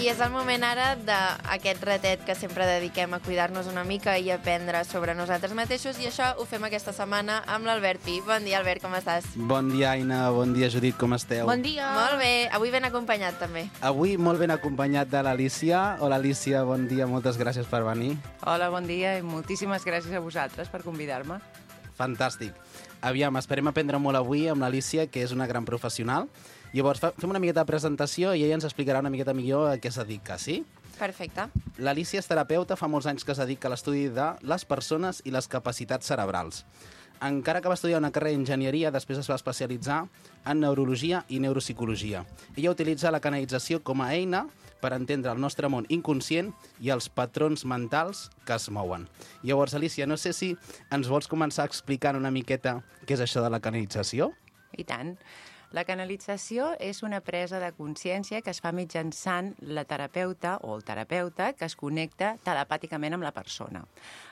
I és el moment ara d'aquest ratet que sempre dediquem a cuidar-nos una mica i aprendre sobre nosaltres mateixos, i això ho fem aquesta setmana amb l'Albert Pi. Bon dia, Albert, com estàs? Bon dia, Aina. Bon dia, Judit. Com esteu? Bon dia. Molt bé. Avui ben acompanyat, també. Avui molt ben acompanyat de l'Alícia. Hola, Alícia. Bon dia. Moltes gràcies per venir. Hola, bon dia i moltíssimes gràcies a vosaltres per convidar-me. Fantàstic. Aviam, esperem aprendre molt avui amb l'Alícia, que és una gran professional. Llavors, fa- fem una miqueta de presentació i ella ens explicarà una miqueta millor a què es dedica, sí? Perfecte. L'Alícia és terapeuta, fa molts anys que es dedica a l'estudi de les persones i les capacitats cerebrals. Encara que va estudiar una carrera d'enginyeria, després es va especialitzar en neurologia i neuropsicologia. Ella utilitza la canalització com a eina per entendre el nostre món inconscient i els patrons mentals que es mouen. Llavors, Alícia, no sé si ens vols començar explicant una miqueta què és això de la canalització? I tant. La canalització és una presa de consciència que es fa mitjançant la terapeuta o el terapeuta que es connecta telepàticament amb la persona.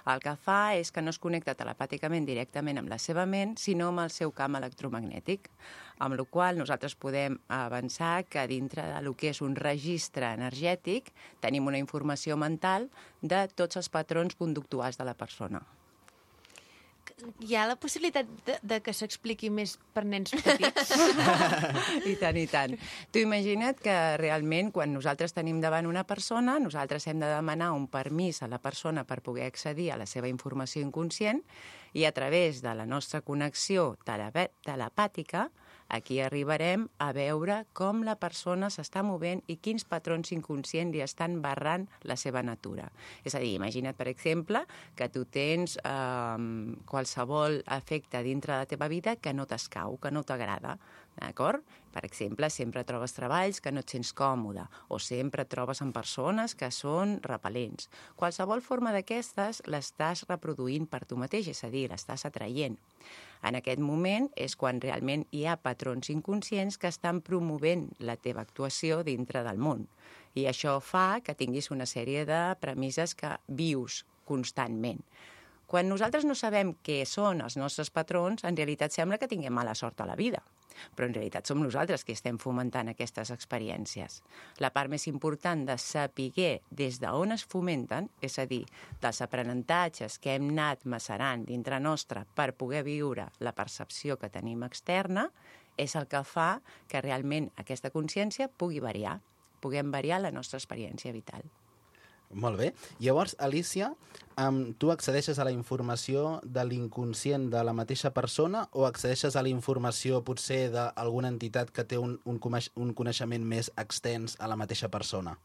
El que fa és que no es connecta telepàticament directament amb la seva ment, sinó amb el seu camp electromagnètic, amb la qual cosa nosaltres podem avançar que dintre del que és un registre energètic tenim una informació mental de tots els patrons conductuals de la persona. Hi ha la possibilitat de, de que s'expliqui més per nens petits? I tant, i tant. Tu imagina't que realment quan nosaltres tenim davant una persona, nosaltres hem de demanar un permís a la persona per poder accedir a la seva informació inconscient i a través de la nostra connexió tele- telepàtica aquí arribarem a veure com la persona s'està movent i quins patrons inconscients li estan barrant la seva natura. És a dir, imagina't, per exemple, que tu tens eh, qualsevol efecte dintre de la teva vida que no t'escau, que no t'agrada, d'acord? Per exemple, sempre trobes treballs que no et sents còmode o sempre et trobes amb persones que són repel·lents. Qualsevol forma d'aquestes l'estàs reproduint per tu mateix, és a dir, l'estàs atraient. En aquest moment és quan realment hi ha patrons inconscients que estan promovent la teva actuació dintre del món. I això fa que tinguis una sèrie de premisses que vius constantment. Quan nosaltres no sabem què són els nostres patrons, en realitat sembla que tinguem mala sort a la vida. Però en realitat som nosaltres qui estem fomentant aquestes experiències. La part més important de saber des d'on es fomenten, és a dir, dels aprenentatges que hem anat macerant dintre nostre per poder viure la percepció que tenim externa, és el que fa que realment aquesta consciència pugui variar, puguem variar la nostra experiència vital. Molt bé. Llavors, Alícia, um, tu accedeixes a la informació de l'inconscient de la mateixa persona o accedeixes a la informació potser d'alguna entitat que té un, un, coneix un coneixement més extens a la mateixa persona?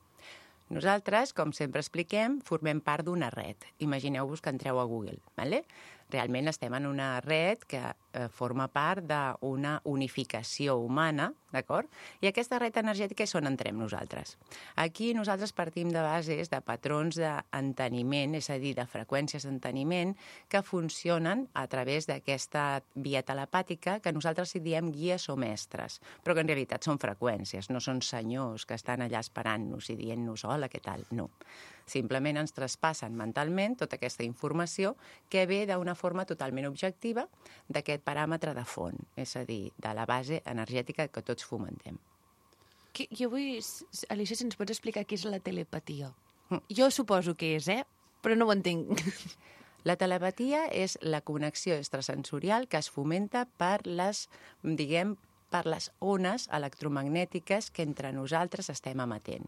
Nosaltres, com sempre expliquem, formem part d'una red. Imagineu-vos que entreu a Google, ¿vale? Realment estem en una red que eh, forma part d'una unificació humana, d'acord? I aquesta red energètica és on entrem nosaltres. Aquí nosaltres partim de bases de patrons d'enteniment, és a dir, de freqüències d'enteniment que funcionen a través d'aquesta via telepàtica que nosaltres hi diem guies o mestres, però que en realitat són freqüències, no són senyors que estan allà esperant-nos i dient-nos hola, què tal? No. Simplement ens traspassen mentalment tota aquesta informació que ve d'una forma totalment objectiva d'aquest paràmetre de font, és a dir, de la base energètica que tots fomentem. Que, jo vull, Alicia, si ens pots explicar què és la telepatia. Jo suposo que és, eh? Però no ho entenc. La telepatia és la connexió extrasensorial que es fomenta per les, diguem, per les ones electromagnètiques que entre nosaltres estem emetent.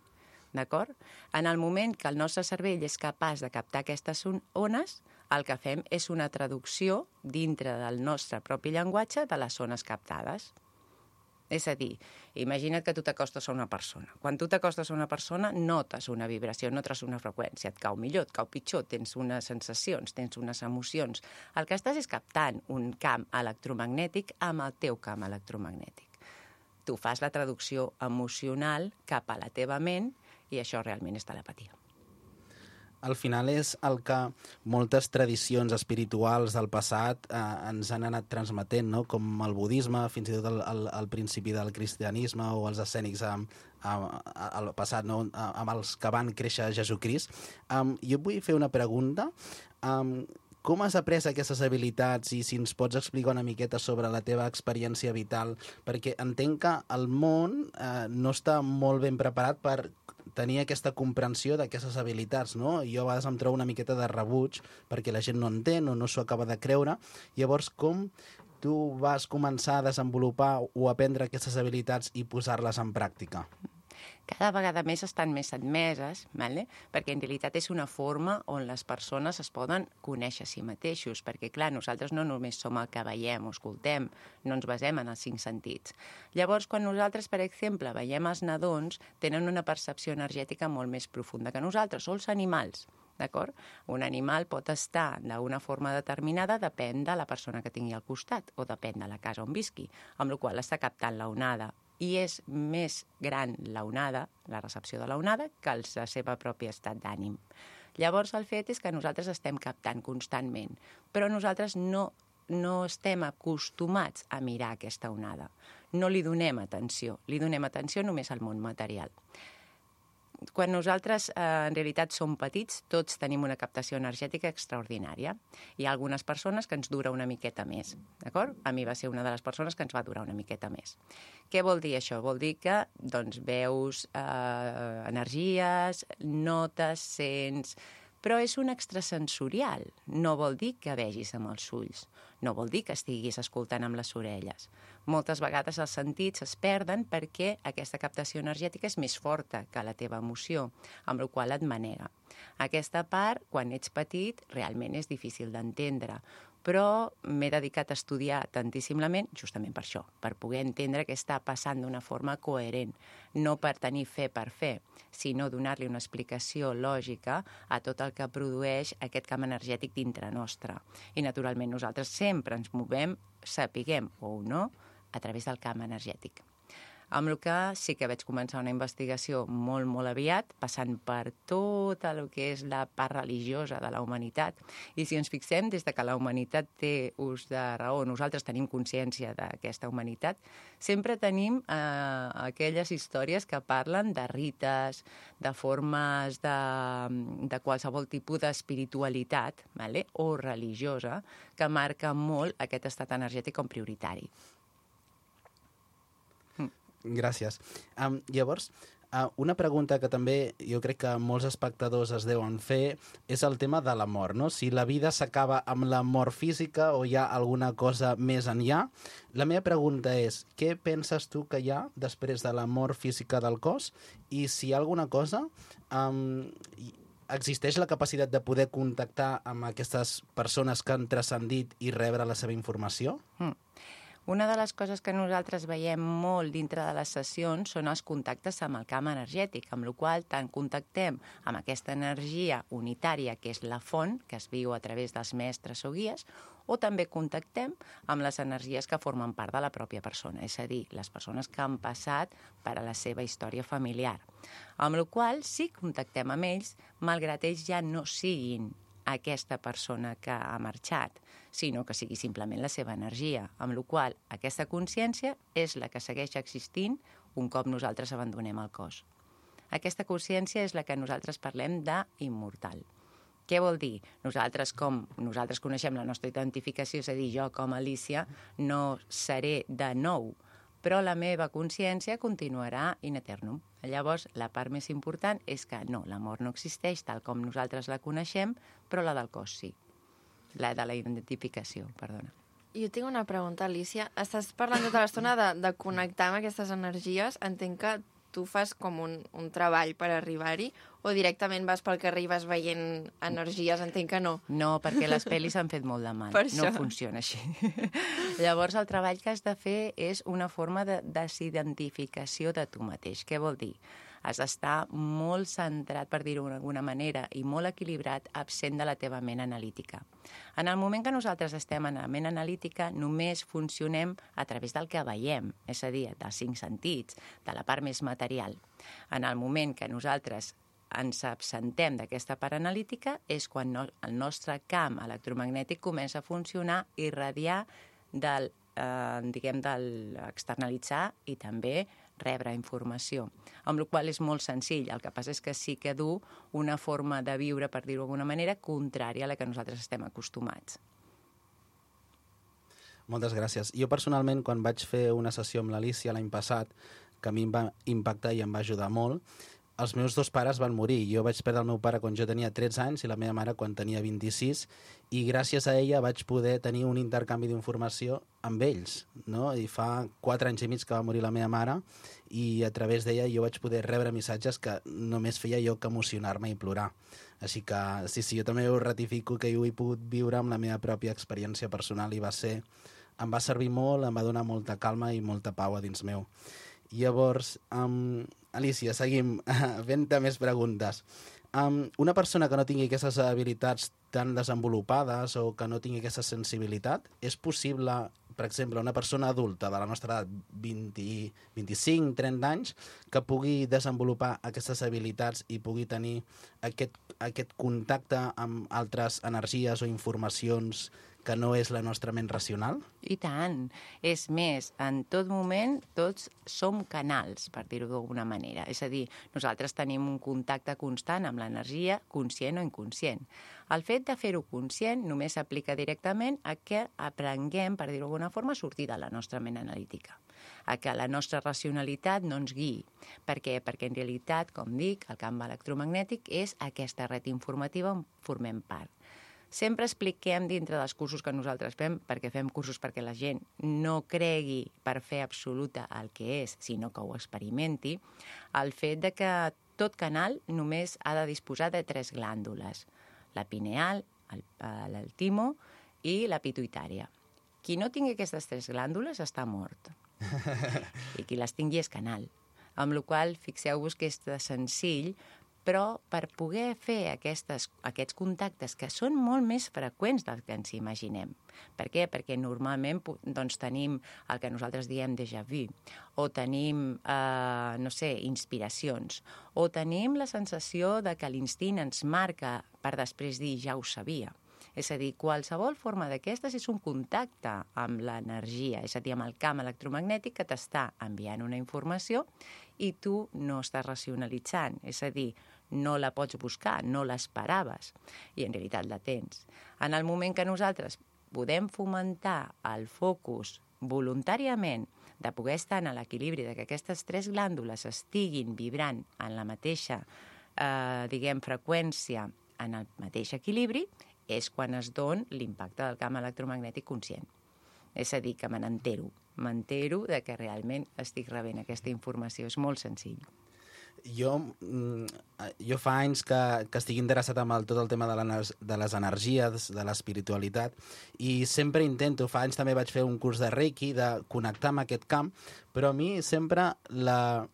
D'acord? En el moment que el nostre cervell és capaç de captar aquestes ones, el que fem és una traducció dintre del nostre propi llenguatge de les ones captades. És a dir, imagina't que tu t'acostes a una persona. Quan tu t'acostes a una persona, notes una vibració, notes una freqüència, et cau millor, et cau pitjor, tens unes sensacions, tens unes emocions. El que estàs és captant un camp electromagnètic amb el teu camp electromagnètic. Tu fas la traducció emocional cap a la teva ment i això realment és telepatia. Al final és el que moltes tradicions espirituals del passat eh, ens han anat transmetent, no? Com el budisme, fins i tot el, el, el principi del cristianisme o els escènics amb, amb, al passat, no? Amb els que van créixer Jesucrist. Um, jo vull fer una pregunta. Um, com has après aquestes habilitats i si ens pots explicar una miqueta sobre la teva experiència vital? Perquè entenc que el món eh, no està molt ben preparat per tenir aquesta comprensió d'aquestes habilitats, no? Jo a vegades em trobo una miqueta de rebuig perquè la gent no entén o no s'ho acaba de creure. Llavors, com tu vas començar a desenvolupar o aprendre aquestes habilitats i posar-les en pràctica? Cada vegada més estan més admeses, vale? Perquè en realitat és una forma on les persones es poden conèixer a si mateixos, perquè clar, nosaltres no només som el que veiem o escoltem, no ens basem en els cinc sentits. Llavors, quan nosaltres, per exemple, veiem els nadons, tenen una percepció energètica molt més profunda que nosaltres, o els animals, d'acord? Un animal pot estar d'una forma determinada, depèn de la persona que tingui al costat, o depèn de la casa on visqui, amb la qual cosa està captant la onada. I és més gran la onada, la recepció de la onada, que el seva propi estat d'ànim. Llavors, el fet és que nosaltres estem captant constantment, però nosaltres no, no estem acostumats a mirar aquesta onada. No li donem atenció, li donem atenció només al món material. Quan nosaltres eh, en realitat som petits, tots tenim una captació energètica extraordinària. Hi ha algunes persones que ens dura una miqueta més, d'acord? A mi va ser una de les persones que ens va durar una miqueta més. Què vol dir això? Vol dir que doncs, veus eh, energies, notes, sents... Però és un extrasensorial. No vol dir que vegis amb els ulls. No vol dir que estiguis escoltant amb les orelles. Moltes vegades els sentits es perden perquè aquesta captació energètica és més forta que la teva emoció, amb la qual et manega. Aquesta part, quan ets petit, realment és difícil d'entendre, però m'he dedicat a estudiar tantíssimament justament per això, per poder entendre què està passant d'una forma coherent, no per tenir fe per fe, sinó donar-li una explicació lògica a tot el que produeix aquest camp energètic dintre nostre. I, naturalment, nosaltres sempre ens movem, sapiguem o no, a través del camp energètic. Amb el que sí que vaig començar una investigació molt, molt aviat, passant per tot el que és la part religiosa de la humanitat. I si ens fixem, des de que la humanitat té ús de raó, nosaltres tenim consciència d'aquesta humanitat, sempre tenim eh, aquelles històries que parlen de rites, de formes de, de qualsevol tipus d'espiritualitat, vale? O religiosa, que marca molt aquest estat energètic com prioritari. Gràcies. Um, llavors, uh, una pregunta que també jo crec que molts espectadors es deuen fer és el tema de la mort, no? Si la vida s'acaba amb la mort física o hi ha alguna cosa més enllà. La meva pregunta és, què penses tu que hi ha després de la mort física del cos? I si hi ha alguna cosa, um, existeix la capacitat de poder contactar amb aquestes persones que han transcendit i rebre la seva informació? Mm. Una de les coses que nosaltres veiem molt dintre de les sessions són els contactes amb el camp energètic, amb la qual cosa tant contactem amb aquesta energia unitària que és la font, que es viu a través dels mestres o guies, o també contactem amb les energies que formen part de la pròpia persona, és a dir, les persones que han passat per a la seva història familiar. Amb la qual cosa sí contactem amb ells, malgrat ells ja no siguin aquesta persona que ha marxat, sinó que sigui simplement la seva energia, amb la qual cosa aquesta consciència és la que segueix existint un cop nosaltres abandonem el cos. Aquesta consciència és la que nosaltres parlem d'immortal. Què vol dir? Nosaltres, com nosaltres coneixem la nostra identificació, és a dir, jo com a Alicia no seré de nou, però la meva consciència continuarà in eternum. Llavors, la part més important és que no, la mort no existeix tal com nosaltres la coneixem, però la del cos sí. La de la identificació, perdona. Jo tinc una pregunta, Alicia. Estàs parlant tota l'estona de, de connectar amb aquestes energies. Entenc que tu fas com un, un treball per arribar-hi o directament vas pel carrer i vas veient energies? Entenc que no. No, perquè les pel·lis han fet molt de mal. Per no això. funciona així. Llavors, el treball que has de fer és una forma de desidentificació de tu mateix. Què vol dir? Has d'estar molt centrat, per dir-ho d'alguna manera, i molt equilibrat, absent de la teva ment analítica. En el moment que nosaltres estem en la ment analítica, només funcionem a través del que veiem, és a dir, dels cinc sentits, de la part més material. En el moment que nosaltres ens absentem d'aquesta part analítica és quan no, el nostre camp electromagnètic comença a funcionar i irradiar del, eh, diguem, del externalitzar i també rebre informació, amb la qual és molt senzill. El que passa és que sí que du una forma de viure, per dir-ho d'alguna manera, contrària a la que nosaltres estem acostumats. Moltes gràcies. Jo personalment, quan vaig fer una sessió amb l'Alicia l'any passat, que a mi em va impactar i em va ajudar molt, els meus dos pares van morir. Jo vaig perdre el meu pare quan jo tenia tretze anys i la meva mare quan tenia vint-i-sis, i gràcies a ella vaig poder tenir un intercanvi d'informació amb ells, no? I fa quatre anys i mig que va morir la meva mare i a través d'ella jo vaig poder rebre missatges que només feia jo que emocionar-me i plorar. Així que sí, sí, jo també ho ratifico que jo ho he pogut viure amb la meva pròpia experiència personal i va ser, em va servir molt, em va donar molta calma i molta pau a dins meu. Llavors, um, Alicia, seguim fent més preguntes. Um, una persona que no tingui aquestes habilitats tan desenvolupades o que no tingui aquesta sensibilitat, és possible, per exemple, una persona adulta de la nostra edat, vint, vint-i-cinc, trenta anys, que pugui desenvolupar aquestes habilitats i pugui tenir aquest, aquest contacte amb altres energies o informacions que no és la nostra ment racional? I tant. És més, en tot moment tots som canals, per dir-ho d'alguna manera. És a dir, nosaltres tenim un contacte constant amb l'energia, conscient o inconscient. El fet de fer-ho conscient només s'aplica directament a que aprenguem, per dir-ho d'alguna forma, a sortir de la nostra ment analítica, a que la nostra racionalitat no ens guiï. Per què? Perquè en realitat, com dic, el camp electromagnètic és aquesta red informativa on formem part. Sempre expliquem dintre dels cursos que nosaltres fem, perquè fem cursos perquè la gent no cregui per fer absoluta el que és, sinó que ho experimenti, el fet de que tot canal només ha de disposar de tres glàndules, la pineal, el, el timo i la pituïtària. Qui no tingui aquestes tres glàndules està mort. I qui les tingui és canal. Amb la qual cosa, fixeu-vos que és de senzill, però per poder fer aquestes, aquests contactes que són molt més freqüents del que ens imaginem. Per què? Perquè normalment doncs, tenim el que nosaltres diem déjà vu, o tenim, eh, no sé, inspiracions, o tenim la sensació de que l'instint ens marca per després dir ja ho sabia. És a dir, qualsevol forma d'aquestes és un contacte amb l'energia, és a dir, amb el camp electromagnètic que t'està enviant una informació i tu no estàs racionalitzant, és a dir, no la pots buscar, no l'esperaves, i en realitat la tens. En el moment que nosaltres podem fomentar el focus voluntàriament de poder estar en l'equilibri, de que aquestes tres glàndules estiguin vibrant en la mateixa, eh, diguem, freqüència, en el mateix equilibri, és quan es don l'impacte del camp electromagnètic conscient. És a dir, que me n'entero. M'entero de que realment estic rebent aquesta informació. És molt senzill. Jo, jo fa anys que, que estic interessat amb el, tot el tema de, de les energies, de l'espiritualitat, i sempre intento, fa anys també vaig fer un curs de Reiki, de connectar amb aquest camp, però a mi sempre la,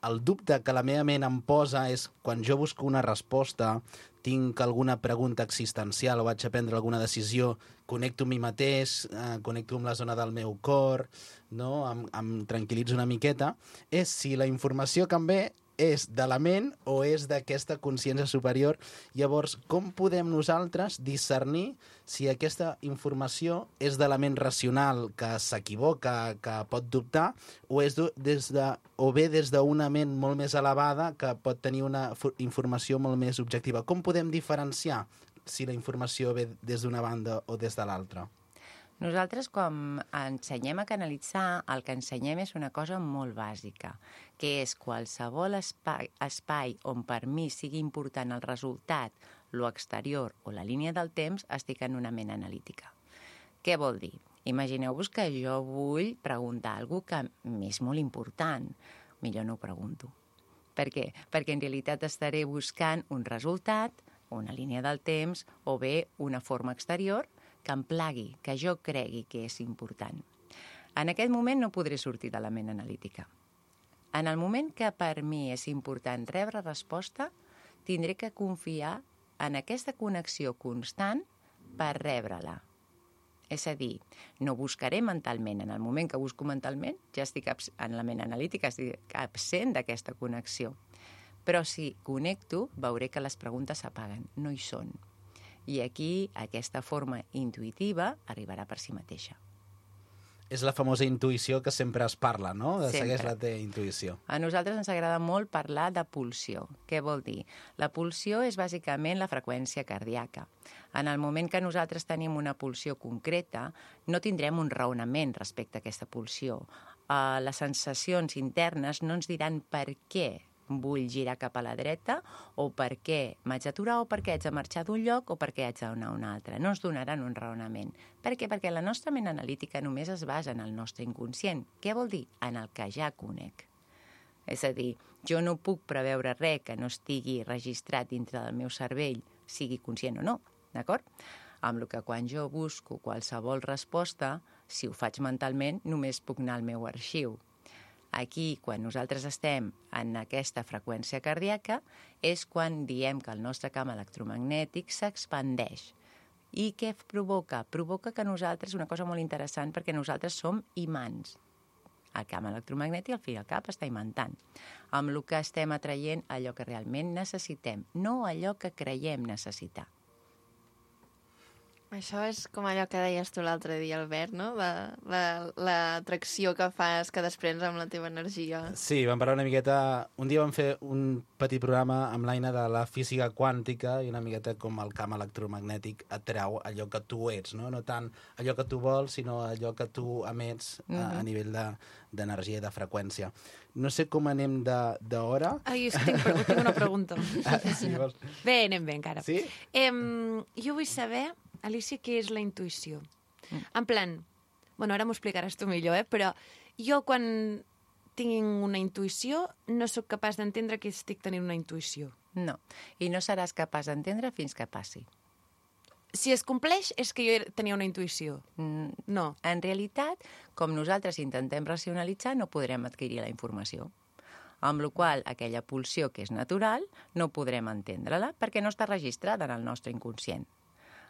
el dubte que la meva ment em posa és quan jo busco una resposta, tinc alguna pregunta existencial o vaig a prendre alguna decisió, connecto amb mi mateix, eh, connecto amb la zona del meu cor, no? em, em tranquil·litzo una miqueta, és si la informació que em ve és de la ment o és d'aquesta consciència superior. Llavors, com podem nosaltres discernir si aquesta informació és de la ment racional que s'equivoca, que pot dubtar, o, és des de, o ve des d'una ment molt més elevada que pot tenir una informació molt més objectiva? Com podem diferenciar si la informació ve des d'una banda o des de l'altra? Nosaltres, quan ensenyem a canalitzar, el que ensenyem és una cosa molt bàsica, que és qualsevol espai, espai on per mi sigui important el resultat, lo exterior o la línia del temps, estic en una ment analítica. Què vol dir? Imagineu-vos que jo vull preguntar alguna cosa que m'és molt important. Millor no ho pregunto. Per què? Perquè en realitat estaré buscant un resultat, una línia del temps, o bé una forma exterior, que em plagui, que jo cregui que és important. En aquest moment no podré sortir de la ment analítica. En el moment que per mi és important rebre resposta, tindré que confiar en aquesta connexió constant per rebre-la. És a dir, no buscaré mentalment. En el moment que busco mentalment, ja estic en la ment analítica, estic absent d'aquesta connexió. Però si connecto, veuré que les preguntes s'apaguen, no hi són. I aquí aquesta forma intuïtiva arribarà per si mateixa. És la famosa intuïció que sempre es parla, no? De sempre. Segueix la teva intuïció. A nosaltres ens agrada molt parlar de pulsió. Què vol dir? La pulsió és bàsicament la freqüència cardíaca. En el moment que nosaltres tenim una pulsió concreta, no tindrem un raonament respecte a aquesta pulsió. Uh, les sensacions internes no ens diran per què vull girar cap a la dreta, o per què m'haig d'aturar, o per què haig de marxar d'un lloc, o per què haig d'anar a un altre. No ens donaran un raonament. Per què? Perquè la nostra ment analítica només es basa en el nostre inconscient. Què vol dir? En el que ja conec. És a dir, jo no puc preveure res que no estigui registrat dintre del meu cervell, sigui conscient o no, d'acord? Amb el que quan jo busco qualsevol resposta, si ho faig mentalment, només puc anar al meu arxiu. Aquí, quan nosaltres estem en aquesta freqüència cardíaca, és quan diem que el nostre camp electromagnètic s'expandeix. I què provoca? Provoca que nosaltres, una cosa molt interessant, perquè nosaltres som imants. El camp electromagnètic, al fi i al cap, està imantant. Amb el que estem atraient allò que realment necessitem, no allò que creiem necessitar. Això és com allò que deies tu l'altre dia, Albert, no? La- la- L'atracció que fas, que desprens amb la teva energia. Sí, vam parlar una miqueta... Un dia vam fer un petit programa amb l'Aina de la física quàntica i una miqueta com el camp electromagnètic atrau allò que tu ets, no? No tant allò que tu vols, sinó allò que tu emets a, a nivell de- d'energia i de freqüència. No sé com anem de- d'hora. Ai, és que tinc, pre- tinc una pregunta. Ah, sí, vols? Bé, anem bé encara. Sí? Em, jo vull saber, Alicia, què és la intuïció. En plan, bueno, ara m'ho explicaràs tu millor, eh? Però jo quan tinc una intuïció no sóc capaç d'entendre que estic tenint una intuïció. No, i no seràs capaç d'entendre fins que passi. Si es compleix, és que jo tenia una intuïció. Mm, No. En realitat, com nosaltres intentem racionalitzar, no podrem adquirir la informació. Amb la qual cosa, aquella pulsió que és natural, no podrem entendre-la perquè no està registrada en el nostre inconscient.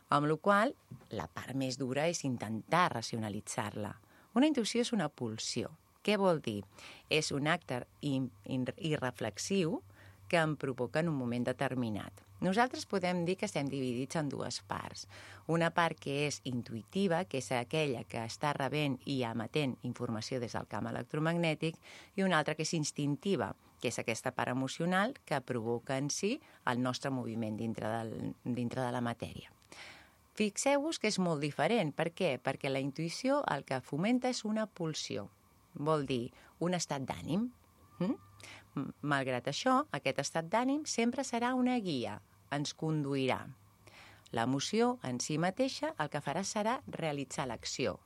Amb la qual cosa, la part més dura és intentar racionalitzar-la. Una intuïció és una pulsió. Què vol dir? És un acte in- in- irreflexiu que em provoca en un moment determinat. Nosaltres podem dir que estem dividits en dues parts. Una part que és intuïtiva, que és aquella que està rebent i emetent informació des del camp electromagnètic, i una altra que és instintiva, que és aquesta part emocional que provoca en si el nostre moviment dintre, del, dintre de la matèria. Fixeu-vos que és molt diferent. Per què? Perquè la intuïció el que fomenta és una pulsió. Vol dir un estat d'ànim. Mm? M- Malgrat això, aquest estat d'ànim sempre serà una guia, ens conduirà. L'emoció en si mateixa el que farà serà realitzar l'acció,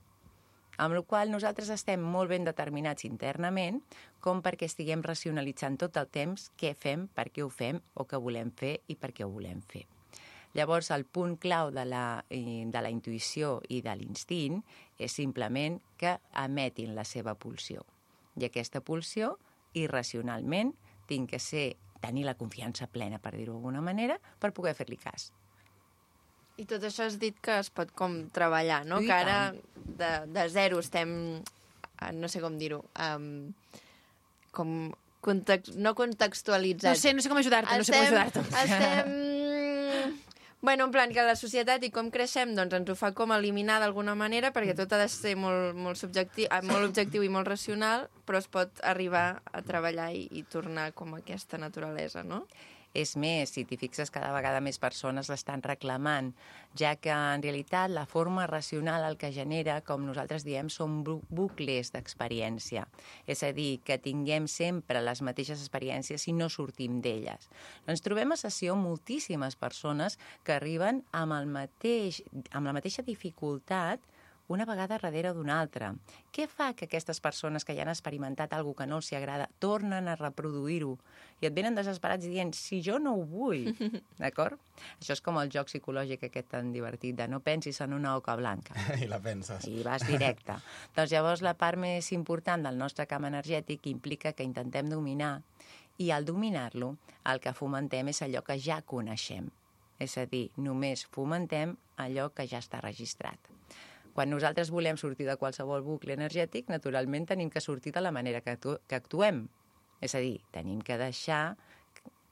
amb la qual cosa nosaltres estem molt ben determinats internament com perquè estiguem racionalitzant tot el temps què fem, per què ho fem, o què volem fer i per què ho volem fer. Llavors, el punt clau de la, eh, de la intuïció i de l'instint és simplement que emetin la seva pulsió. I aquesta pulsió, irracionalment, tinc que ser, tenir la confiança plena, per dir-ho d'alguna manera, per poder fer-li cas. I tot això has dit que es pot com treballar, no? I Que ara de, de zero estem, eh, no sé com dir-ho, um, com context, no No contextualitzats. sé, no sé com ajudar-te, no sé com ajudar-te. Estem... Bueno, en plan, que la societat i com creixem doncs ens ho fa com eliminar d'alguna manera perquè tot ha de ser molt, molt, subjectiu, eh, molt objectiu i molt racional, però es pot arribar a treballar i, i tornar com a aquesta naturalesa, no? És més, si t'hi fixes, cada vegada més persones l'estan reclamant, ja que en realitat la forma racional el que genera, com nosaltres diem, són bu- bucles d'experiència. És a dir, que tinguem sempre les mateixes experiències i no sortim d'elles. Ens trobem a sessió moltíssimes persones que arriben amb, el mateix, amb la mateixa dificultat una vegada darrere d'una altra. Què fa que aquestes persones que ja han experimentat alguna que no els agrada tornen a reproduir-ho i et venen desesperats dient si jo no ho vull, d'acord? Això és com el joc psicològic aquest tan divertit de no pensis en una oca blanca I la penses. i vas directe. Doncs llavors la part més important del nostre camp energètic implica que intentem dominar i al dominar-lo el que fomentem és allò que ja coneixem. És a dir, només fomentem allò que ja està registrat. Quan nosaltres volem sortir de qualsevol bucle energètic, naturalment tenim que sortir de la manera que, actu que actuem. És a dir, tenim que deixar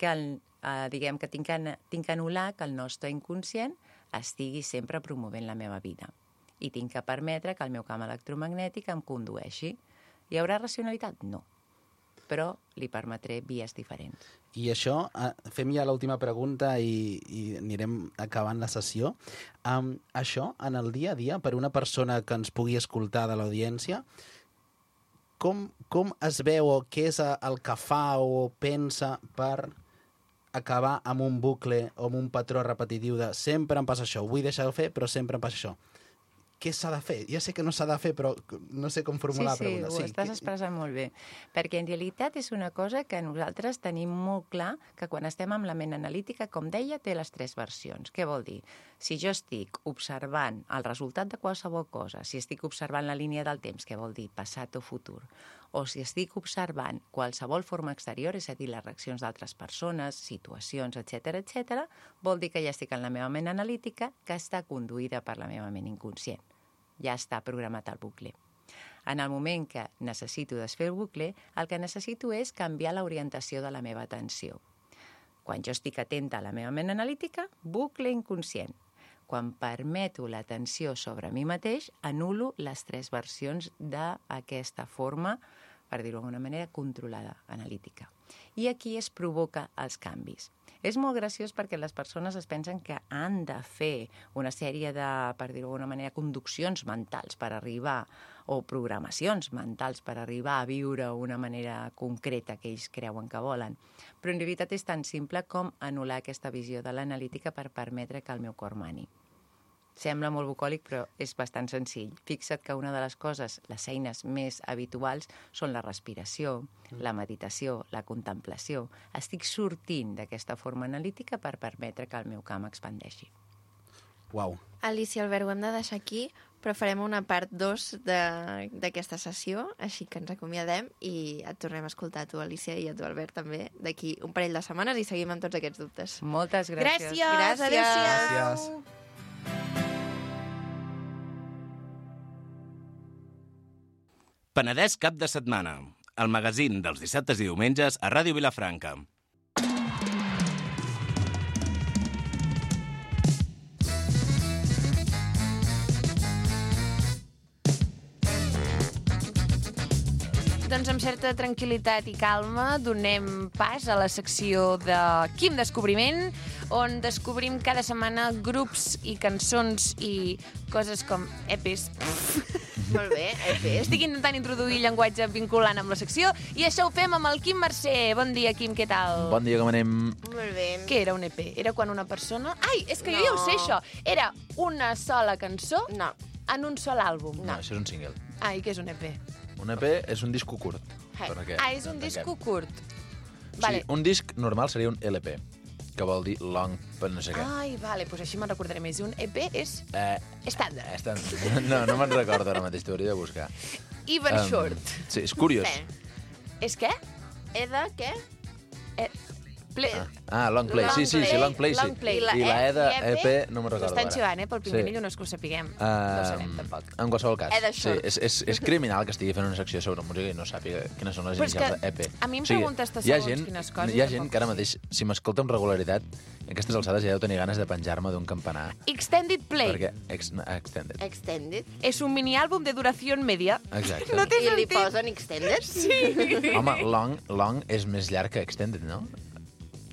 que, el, eh, diguem que tinc que, tinc que anul·lar que el nostre inconscient estigui sempre promovent la meva vida. I tinc que permetre que el meu camp electromagnètic em condueixi. Hi haurà racionalitat? No. Però li permetré vies diferents. I això, eh, fem ja l'última pregunta i, i anirem acabant la sessió. Um, això, en el dia a dia, per una persona que ens pugui escoltar de l'audiència, com, com es veu o què és el que fa o pensa per acabar amb un bucle o amb un patró repetitiu de sempre em passa això, ho vull deixar de fer, però sempre em passa això. Què s'ha de fer? Ja sé que no s'ha de fer, però no sé com formular sí, la pregunta. Sí, ho estàs que... expressant molt bé. Perquè en realitat és una cosa que nosaltres tenim molt clar que quan estem amb la ment analítica, com deia, té les tres versions. Què vol dir? Si jo estic observant el resultat de qualsevol cosa, si estic observant la línia del temps, què vol dir? Passat o futur. O si estic observant qualsevol forma exterior, és a dir, les reaccions d'altres persones, situacions, etcètera, etcètera, vol dir que ja estic en la meva ment analítica, que està conduïda per la meva ment inconscient. Ja està programat el bucle. En el moment que necessito desfer el bucle, el que necessito és canviar l'orientació de la meva atenció. Quan jo estic atenta a la meva ment analítica, bucle inconscient. Quan permeto l'atenció sobre mi mateix, anulo les tres versions d'aquesta forma, per dir-ho d'alguna manera, controlada, analítica. I aquí es provoca els canvis. És molt graciós perquè les persones es pensen que han de fer una sèrie de, per dir-ho d'alguna manera, conduccions mentals per arribar, o programacions mentals per arribar a viure una manera concreta que ells creuen que volen. Però en realitat és tan simple com anul·lar aquesta visió de l'analítica per permetre que el meu cor mani. Sembla molt bucòlic, però és bastant senzill. Fixa't que una de les coses, les eines més habituals, són la respiració, la meditació, la contemplació. Estic sortint d'aquesta forma analítica per permetre que el meu camp expandeixi. Uau. Alicia, Albert, ho hem de deixar aquí, però farem una part dos d'aquesta sessió, així que ens acomiadem i et tornem a escoltar a tu, Alicia, i a tu, Albert, també, d'aquí un parell de setmanes i seguim amb tots aquests dubtes. Moltes gràcies. Gràcies, Gràcies. adéu-siau. Gràcies. Penedès cap de setmana, el magazín dels dissabtes i diumenges a Ràdio Vilafranca. Doncs amb certa tranquil·litat i calma donem pas a la secció de Quim Descobriment, on descobrim cada setmana grups i cançons i coses com E Pes. Molt bé, E Pes. Estic intentant introduir llenguatge vinculant amb la secció i això ho fem amb el Quim Mercè. Bon dia, Quim, què tal? Bon dia, com anem? Molt bé. Què era un E P? Era quan una persona... Ai, és que jo No. ja ho sé, això. Era una sola cançó No. en un sol àlbum. No, això és un single. Ah, i què és un E P? Un E P és un disco curt. Hey. perquè Ah, és un entenguem. disco curt. O Vale. sigui, un disc normal seria un L P, que vol dir long per no sé què. Ai, vale, doncs així me'n recordaré més. Un E P és Eh, estàndard. està... No, no me'n recordo ara mateix, t'hauria de buscar. Even Em, short. Sí, és curiós. Què? És què? E de què? Eh, ple... Ah, long play, sí, sí, sí, long play, sí. Long play. I la E de I E P no me'n recordo Estan ara. xivant, eh? Pel primer Sí. sí. no és que ho sapiguem. No ho sabem, Um, tampoc. en qualsevol cas, E de sí, short. és, és, és criminal que estigui fent una secció sobre música i no sàpiga quines són les Però és inicials que de E P. a mi em O sigui, preguntes de hi ha segons gent, quines coses Hi ha i gent tampoc que ara sé. mateix, si m'escolta amb regularitat, a aquestes alçades ja deu tenir ganes de penjar-me d'un campanar. Extended Play. Perquè... Ex, extended. Extended. És un mini-àlbum de duració media. Exacte. No té I li sentit. posen Extended? Sí. Home, long, long és més llarg que extended, no?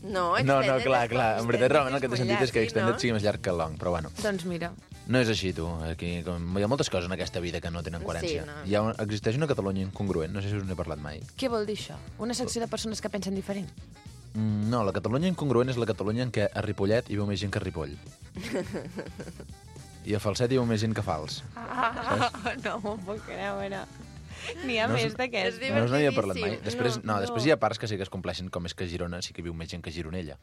No, No, Extended no, clar, és- clar. En veritat, realment el que té molt sentit és que llarg, extended no? sigui més llarg que long, però bueno. Doncs mira. No és així, tu. Aquí, com, hi ha moltes coses en aquesta vida que no tenen coherència. Sí, no. Hi ha, un- existeix una Catalunya incongruent, no sé si us n'he parlat mai. Què vol dir això? Una secció de persones que pensen diferent? Mm, No, la Catalunya incongruent és la Catalunya en què a Ripollet hi veu més gent que a Ripoll. I a Falset hi veu més gent que a Fals. Ah, no m'ho puc creure. N'hi ha No més us- d'aquest. És No us n'havia parlat mai. divertidíssim. Després, no, No, després no. hi ha parts que sí que es compleixen, com és que a Girona sí que hi viu més gent que a Gironella.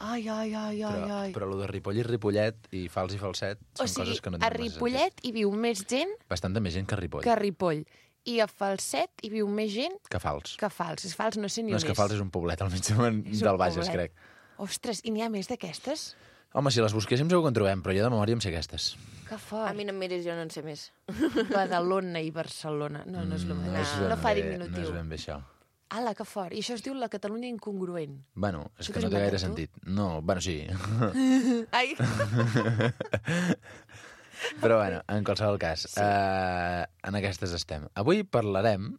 Ai, ai, ai, ai, Però, ai. però el de Ripoll i Ripollet i Fals i Falset són O sigui, coses que no a tenen massa Ripollet hi viu més gent sentit. Bastanta més gent que a Ripoll. que a Ripoll. I a Falset hi viu més gent Que Fals. que a Fals. És Fals, no sé ni No, on és que Fals és un poblet al mig És un del Bages, poblet. crec. Ostres, i n'hi ha més d'aquestes? Home, si les busquéssim segur que en trobem, però jo de memòria em sé aquestes. Que fort. A mi no em miris, jo no en sé més. Badalona i Barcelona. No, no és el Mm, mateix. ben No, fa bé- diminutiu. No és ben bé això. Ala, que fort. I això es diu la Catalunya incongruent. Bueno, és Això que t'ho no has té gaire inventat tu? sentit. No, bueno, sí. Ai! Però bueno, en qualsevol cas, sí. uh, en aquestes estem. Avui parlarem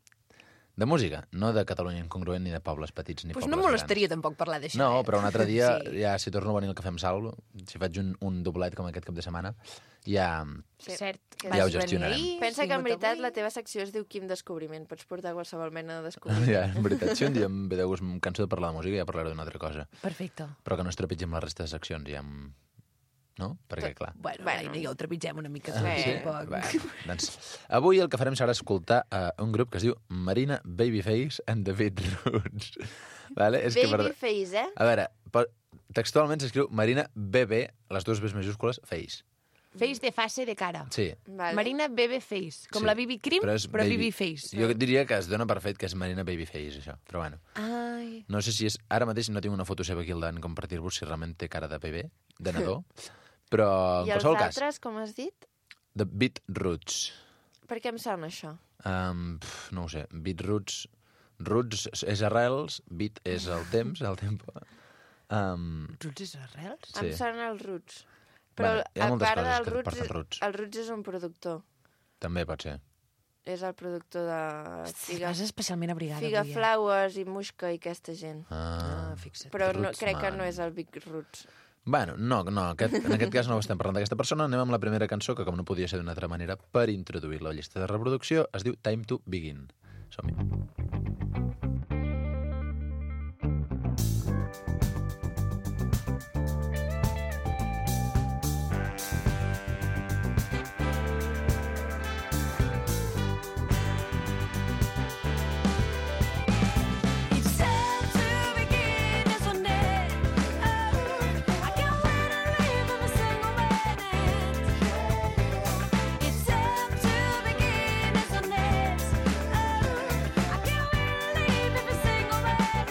De música, no de Catalunya Incongruent ni de pobles petits ni Pues pobles no grans. molestaria tampoc parlar d'això. No, eh? però un altre dia, Sí. ja si torno a venir al Cafè amb Sal, si faig un, un doblet com aquest cap de setmana, ja... Sí. Cert. Que Ja ho vas venir gestionarem. ahir, Pensa has que en vingut veritat avui. la teva secció es diu Quim Descobriment. Pots portar qualsevol mena de descobriment. Ja, en veritat, si un dia em ve de gust, em canso de parlar de música, ja parlaré d'una altra cosa. Perfecte. Però que no es trepitgi amb la resta de seccions, ja em... No? Perquè, clar... Bueno, Bueno. bueno. ja ho trepitgem una mica. Sí. tot, Sí. tampoc. Bueno, doncs, avui el que farem serà escoltar uh, un grup que es diu Marina Babyface and the Beatroots. Vale? És que, per- Babyface, eh? A veure, po- textualment s'escriu Marina B B, les dues Bs majúscules, Face. Face de face de cara. Sí. Vale. Marina Bebe Face. Com Sí. la Bibi Cream, però, és però Bibi Face. Jo diria que es dona per fet que és Marina Babyface, això. Però bueno, Ai. no sé si és... Ara mateix no tinc una foto seva aquí al davant compartir-vos si realment té cara de bebè, de nadó, però en I els qualsevol cas, altres, com has dit? The Beatroots. Per què em sona això? Um, pf, no ho sé, Beatroots... Roots és arrels, beat és el temps, el tempo. Um, Roots és arrels? Sí. Em sona els Roots. Però Bueno, hi ha a moltes part coses del que Roots, porten Roots. el Roots és un productor. també pot ser. És el productor de Figa, Vas especialment abrigada Figa avui, eh? Flowers i Muixca i aquesta gent. Ah, Ah, fixa't. Però no, Roots crec que Man. no és el Big Roots. Bueno, no, no aquest, en aquest cas no estem parlant d'aquesta persona. Anem amb la primera cançó, que com no podia ser d'una altra manera, per introduir la llista de reproducció, es diu Time to Begin. Som-hi. It's time to begin, isn't it? Oh, I can't wait to live every single minute. It's time to begin, isn't it? Oh, I can't wait to live every single minute.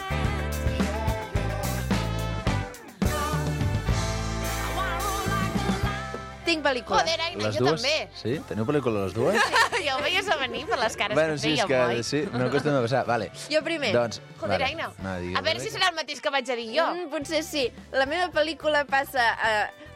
I wanna roll like a lion. Tinc pel·lícula. Joder, Aina, Les jo dues? també. Sí? Teniu pel·lícula les dues? Ja ho veies a venir per les cares bueno, que sí, és fèiem, que oi? sí, no acostuma a passar. Vale. Jo primer. Doncs, Joder, vale. Aina, No, digues, a veure si serà el mateix que vaig a dir jo. Mm, potser sí. La meva pel·lícula passa a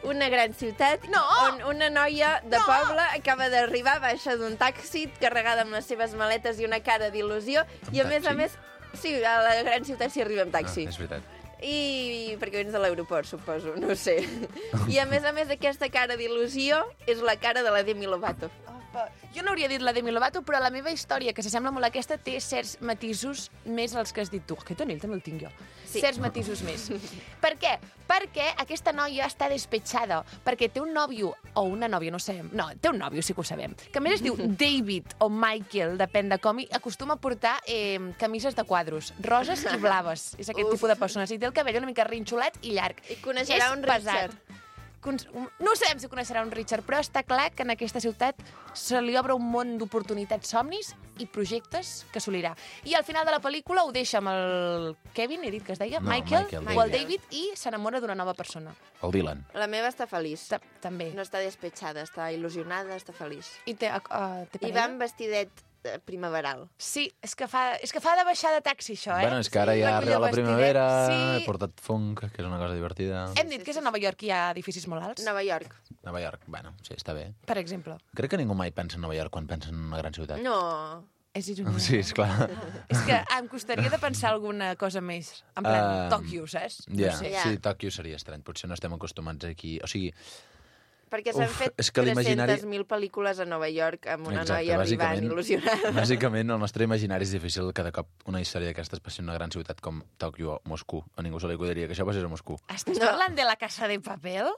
una gran ciutat No! on una noia de No! poble acaba d'arribar, baixa d'un taxi carregada amb les seves maletes i una cara d'il·lusió i a Un més a taxi? més, sí, a la gran ciutat s'hi arriba amb taxi. Ah, és veritat. I perquè vens de l'aeroport, suposo, no sé. I a més a més aquesta cara d'il·lusió és la cara de la Demi Lovato. Jo no hauria dit la Demi Lovato, però la meva història, que s'assembla molt a aquesta, té certs matisos més als que has dit tu. Aquest anell també el tinc jo. Sí. Certs matisos més. Per què? Perquè aquesta noia està despetxada, perquè té un nòvio, o una nòvia, no ho sabem. No, té un nòvio, sí que ho sabem. Que a més es diu David o Michael, depèn de com, i acostuma a portar eh, camises de quadros, roses i blaves. És aquest Uf. tipus de persones. I té el cabell una mica rinxolat i llarg. I coneixerà És un pesat. Richard. Cons- No sabem si coneixerà un Richard, però està clar que en aquesta ciutat se li obre un món d'oportunitats, somnis i projectes que assolirà. I al final de la pel·lícula ho deixa amb el Kevin, he dit que es deia, No, Michael, Michael, o el David. David, i s'enamora d'una nova persona. El Dylan. La meva està feliç. Ta També. No està despetxada, està il·lusionada, està feliç. I té, uh, té I parella? va amb vestidet eh, primaveral. Sí, és que, fa, és que fa de baixar de taxi, això, eh? Bueno, és que ara Sí, ja recull arriba el la vestidet. primavera, Sí. he portat funk, que és una cosa divertida. Hem dit que és a Nova York hi ha edificis molt alts, Nova York. Nova York, bueno, sí, està bé. per exemple. Crec que ningú mai pensa en Nova York quan pensa en una gran ciutat. No. És ironia. Sí, esclar. És que em costaria de pensar alguna cosa més. En plan, Ah, Tòquio, saps? Ja, No sé. Ja. sí, Tòquio seria estrany. Potser no estem acostumats aquí. O sigui, Perquè s'han Uf, fet és que l'imaginari- tres-centes mil pel·lícules a Nova York amb una exacte, noia arribant bàsicament, il·lusionada. bàsicament el nostre imaginari és difícil que de cop una història d'aquestes passi en una gran ciutat com Tòquio o Moscou. A ningú se li acudiria que això passés a Moscou. Estàs No. parlant de la Casa de Papel?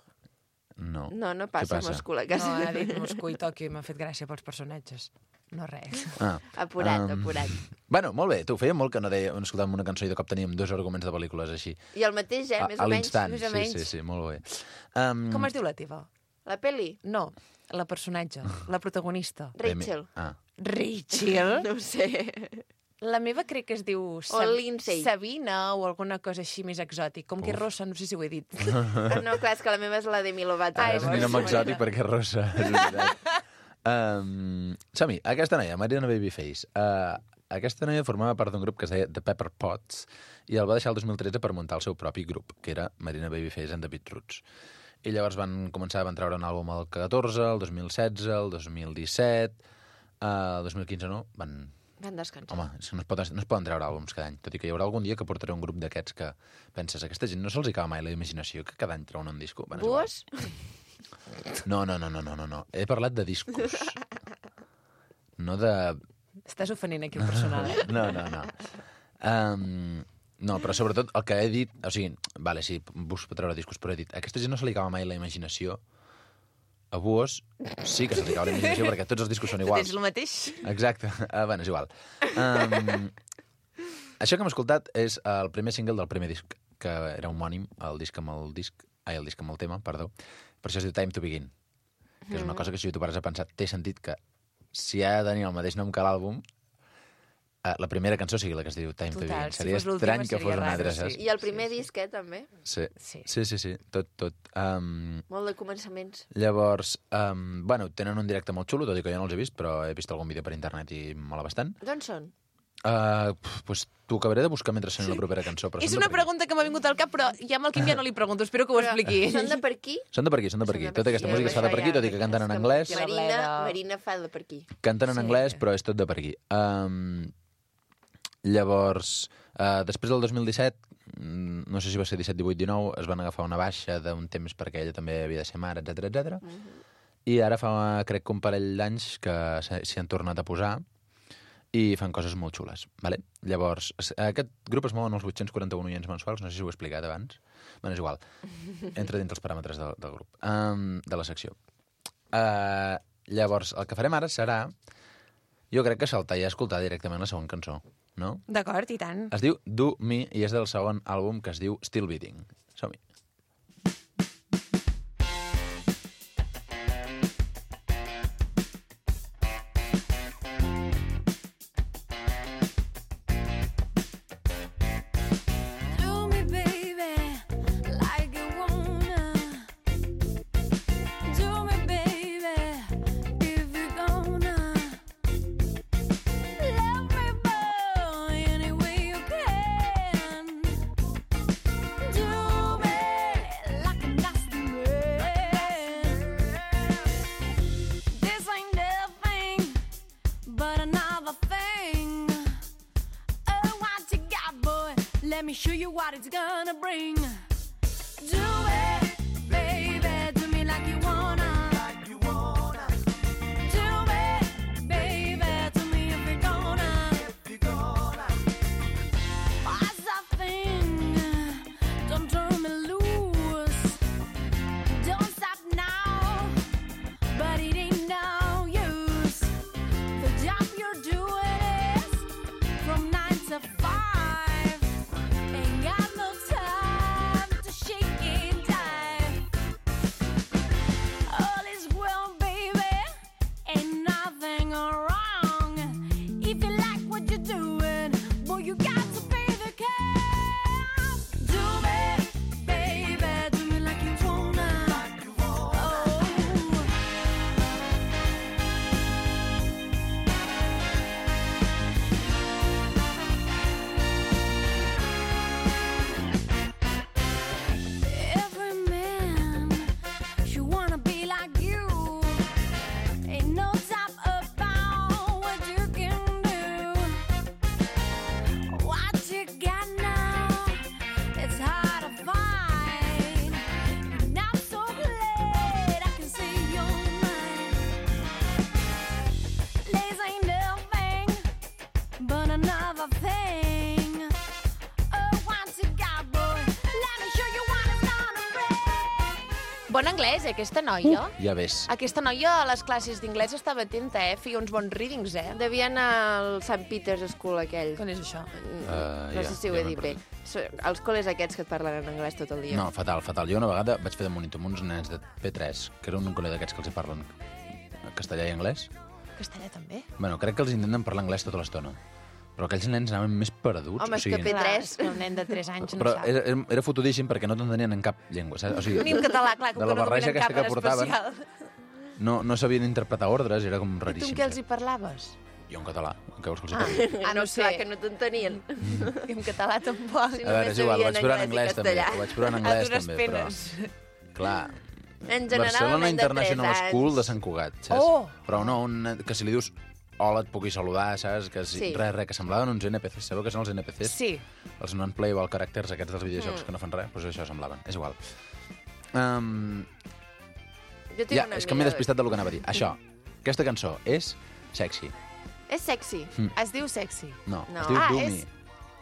No. No, no Què passa, a passa? Moscou, la No, casa. ha dit Moscou i Tòquio i m'ha fet gràcia pels personatges. No res. Ah. Apurat, Um, apurat. Bueno, molt bé, tu, feia molt que no deia, escoltàvem una cançó i de cop teníem dos arguments de pel·lícules així. I el mateix, eh? A, Més a o menys. l'instant, més o sí, menys. sí, sí, molt bé. Um, Com es diu la teva? La peli? No, la personatge, la protagonista. Rachel. Ah. Rachel? No ho sé. La meva crec que es diu O Lindsay. Sabina o alguna cosa així més exòtic. Com que és Uf. rossa, no sé si ho he dit. Ah, no, clar, és que la meva és la Demi Lovato. Ah, És és un nom boníssima. exòtic perquè és rossa, és veritat. Um, Som-hi, aquesta noia, Marina Babyface. Uh, aquesta noia formava part d'un grup que es deia The Pepper Pots i el va deixar el dos mil tretze per muntar el seu propi grup, que era Marina Babyface and the Beatroots. I llavors van començar, van treure un àlbum el catorze, el dos mil setze, el dos mil disset, uh, el dos mil quinze no, van Van descansar. Home, és que no es, pot, no es poden treure àlbums cada any, tot i que hi haurà algun dia que portaré un grup d'aquests que penses, aquesta gent no se'ls acaba mai la imaginació que cada any treuen un disco. Bueno, és igual. Bues? No, no, no, no, no, no, no. He parlat de discos. No de... Estàs ofenent aquí un personal, eh? No, no, no. Um, no, però sobretot el que he dit... O sigui, vale, sí, busco treure discos, però he dit, a aquesta gent no se li acaba mai la imaginació. A Buos sí que se li acaba la imaginació perquè tots els discos són Tu iguals. tens el mateix? Exacte. Uh, bueno, és igual. Um, això que hem escoltat és el primer single del primer disc, que era homònim, el disc amb el disc... Ai, el disc amb el tema, perdó. Per això es diu Time to Begin. Que és una cosa que si tu pares a pensar, té sentit que si ha de tenir el mateix nom que l'àlbum, uh, la primera cançó sigui la que es diu Time to Total, Begin. si Seria fos l'última estrany que seria fos una raro, altra, sí. saps? I el primer sí, disc, eh, també. Sí. Sí. sí, sí, sí, tot, tot. Um, Molt de començaments. llavors, um, bueno, tenen un directe molt xulo, tot i que jo no els he vist, però he vist algun vídeo per internet i mola bastant. D'on són? Uh, pues t'ho acabaré de buscar mentre soni la propera cançó. Però És són de una per aquí. pregunta que m'ha vingut al cap, però ja amb el Quim ja no li pregunto. Espero que ho expliqui. Són de per aquí? Són de per aquí, són de per aquí. Són de per Tota aquesta aquí. música es fa de per aquí, tot i que canten en anglès. Que la Marina, bleda. Marina fa de per aquí. Canten en Sí. anglès, però és tot de per aquí. Um, llavors, uh, després del dos mil disset, mm, no sé si va ser disset, divuit, dinou, es van agafar una baixa d'un temps perquè ella també havia de ser mare, etcètera, etcètera. I ara fa, crec que un parell d'anys que s'hi s'hi han tornat a posar i fan coses molt xules. Vale? Llavors, es- aquest grup es mouen els vuit-cents quaranta-un oients mensuals, no sé si ho he explicat abans. Bé, és igual. Entra dins els paràmetres del, del grup, um, de la secció. Uh, llavors, el que farem ara serà, jo crec que saltar i escoltar directament la segona cançó, no? D'acord, i tant. Es diu Do Me i és del segon àlbum que es diu Still Beating. Som-hi. Do me, baby, like you wanna. Do me, baby, if you're gonna. Love me, boy, any way you can. Do me like a nasty man. This ain't nothing but another thing. Oh, what you got, boy? Let me show you what it's gonna bring. Do it, baby, do me like you wanna. Like you wanna. Do it, baby, do me if you're gonna. If you're gonna. What's that thing? Don't turn me loose. Don't stop now, but it ain't no use. The job you're doing is from nine to five. Ain't got no time to shake and dive. All is well, baby, ain't nothing wrong. If you like what you're doing, boy, you got to pay the cash. Do me, baby, do me like you wanna. Like you wanna. Oh. Every man should wanna be like you. Ain't no top about what you can do. What you got now, it's hard to find. And I'm so glad I can see your mind. Lace ain't nothing but another thing. Oh, what you got, boy? Let me show you what it's gonna bring. Bon anglès, eh, aquesta noia. Ja ves. Aquesta noia a les classes d'inglès estava atenta, eh? Feia uns bons readings, eh? Devia anar al Sant Peter's School aquell. Com és això? Uh, No ja, sé si ho ja he m'he dit bé. So- Els col·les aquests que et parlen en anglès tot el dia. No, fatal, fatal. Jo una vegada vaig fer de monitor amb uns nens de P tres, que era un col·le d'aquests que els hi parlen castellà i anglès. Castellà també? Bueno, crec que els intenten parlar anglès tota l'estona. Però aquells nens anaven més perduts. Home, o és que sigui, P Clar, tres. és que un nen de tres anys no però sap. era, era, era fotudíssim perquè no t'entenien en cap llengua. Saps? O sigui, Ni en català, clar, com de que la no barreja dominen aquesta cap que en portaven, especial. no, no sabien interpretar ordres, era com I tu raríssim. amb què els hi saps? parlaves? Jo en català, què vols que els hi Ah, parli? ah, no sé. Clar, que no t'entenien. I en català tampoc. Sí. A veure, és igual, ho vaig sabien provar en anglès i anglès també. castellà. Ho vaig provar en A anglès dures també, penes. però... Clar, En general, Barcelona el nen de International tres anys. School de Sant Cugat, saps? Oh! Però no, un nen que si li dius hola, et pugui saludar, saps? Que si, Sí. Res, res, que semblaven uns N P Cs. Sabeu què són els N P Cs? Sí. Els non-playable characters aquests dels videojocs Mm. que no fan res, doncs això semblaven. És igual. Um, Jo tinc ja, una és que m'he amiga- despistat del que anava a dir. Això, aquesta cançó és sexy. És sexy. Es diu sexy. No, No. es diu Ah, Doomy. és...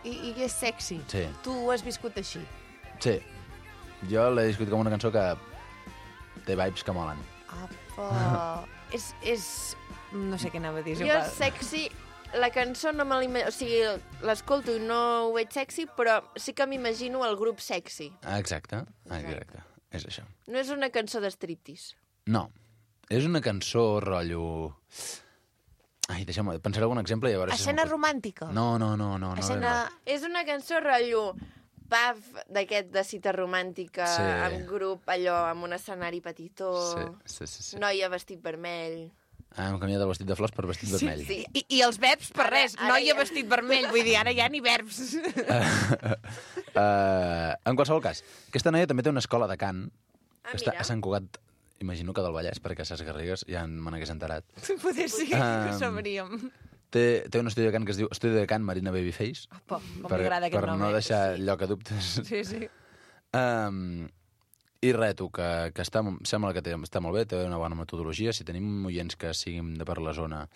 I, I és sexy. Sí. Tu ho has viscut així. Sí. Jo l'he discutit com una cançó que té vibes que molen. Apa. és, és... No sé què anava a dir. és Jo igual. sexy, la cançó no me l'imagino... O sigui, l'escolto i no ho veig sexy, però sí que m'imagino el grup sexy. Ah, exacte, exacte. És això. No és una cançó de striptease. No. És una cançó, rotllo... Ai, deixa'm... Pensaré algun exemple i a veure si... Escena se'm- romàntica. No, no, no, no. no Escena... És una cançó rotllo paf d'aquest de cita romàntica, Sí. amb grup, allò, amb un escenari petitó, Sí, sí, sí. sí. noia vestit vermell... Ah, hem canviat el vestit de flors per vestit vermell. Sí. I, I els verbs per Ara- res. ara Noia ja- vestit vermell. Vull dir, ara ja ni verbs. uh, en qualsevol cas, aquesta noia també té una escola de cant Ah, que està mira. a Sant Cugat, imagino que del Vallès, perquè a Ses Garrigues ja me n'hagués enterat. Poder sí, Um, ho sabríem. Té, té un estudi de cant que es diu Estudi de Cant Marina Babyface. Apa, com per, m'agrada aquest per nom. no eh? deixar lloc a dubtes. Sí, sí. Um, I res, tu, que, que està, sembla que té, està molt bé, té una bona metodologia. Si tenim oients que siguin de per la zona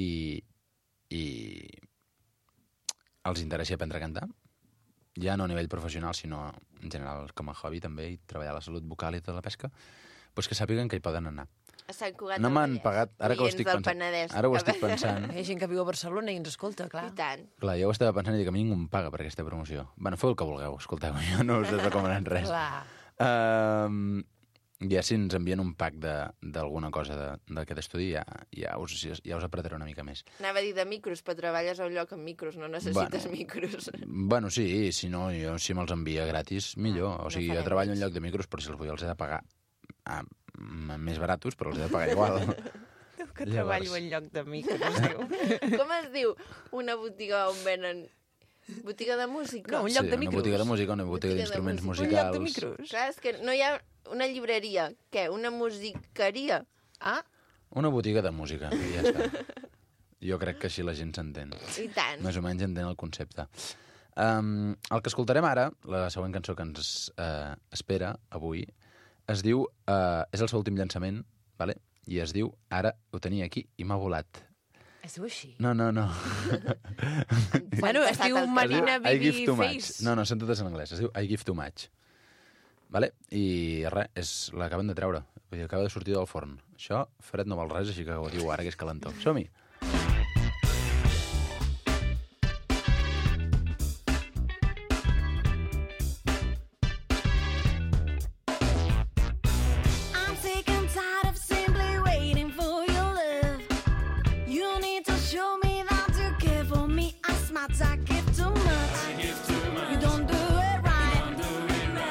i, i els interessi aprendre a cantar, ja no a nivell professional, sinó en general com a hobby també, i treballar la salut vocal i tota la pesca, doncs que sàpiguen que hi poden anar. A Sant Cugat No del m'han Vallès. pagat, ara que ho Oients estic del pensant. Penedès. Ara ho estic pensant. Hi ha gent que viu a Barcelona i ens escolta, clar. I tant. Clar, jo ho estava pensant i dic, a mi ningú em paga per aquesta promoció. Bueno, feu el que vulgueu, escolteu, jo no us recomanaré res. Clar. Um, ja si ens envien un pack de- d'alguna cosa de- d'aquest estudi, ja, ja, us, ja us apretaré una mica més. Anava a dir de micros, però treballes a un lloc amb micros, no necessites Bueno. micros. Bueno, sí, si no, jo si me'ls envia gratis, millor. O sigui, no jo farem treballo en res. lloc de micros, però si els vull els he de pagar ah, m- més baratos, però els he de pagar igual. Diu que Llavors. treballo en lloc de micros, diu. Com es diu una botiga on venen... Botiga de música? No, un lloc sí, de una micros. botiga de música, una botiga Botiga de d'instruments música. Un lloc de musicals. micros. Clar, és que no hi ha una llibreria. Què? Una musiqueria? Ah, Una botiga de música, i ja està. Jo crec que així la gent s'entén. I tant. Més o menys entén el concepte. Um, el que escoltarem ara, la següent cançó que ens uh, espera avui, es diu... Uh, és el seu últim llançament, vale? I es diu Ara ho tenia aquí i m'ha volat. es diu així. No, no, no. Bueno, es passat diu el Marina I give too much. Babyface. No, no, són totes en anglès. Es diu I give too much. Vale? I res, és, l'acaben de treure. Vull dir, acaba de sortir del forn. Això, fred no val res, així que ho diu ara, que és calentó. Som-hi! I'm sick and tired of simply waiting for your love. You need to show me that you care for me. I smart, I give too much. You don't do it right.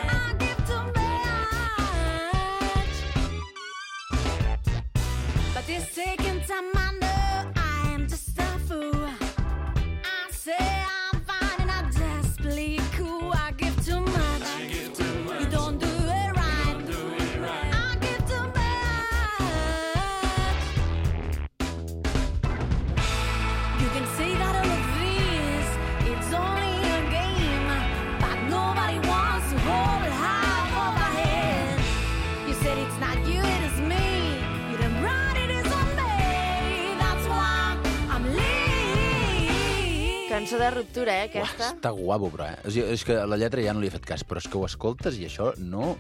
I give too much. But this second time I know I am just a fool. I say I'm fine and I'm desperately cool. I give too much. You don't do it right. I give too much. You can say that all of this, it's only a game, but nobody wants to hold it high over my head. You said it's not you, it is me. You done right, it is on me. That's why I'm leaving. Cançó de ruptura, eh, Uah, aquesta? està guapo, però, eh? O sigui, és que la lletra ja no li he fet cas, però és que ho escoltes i això no...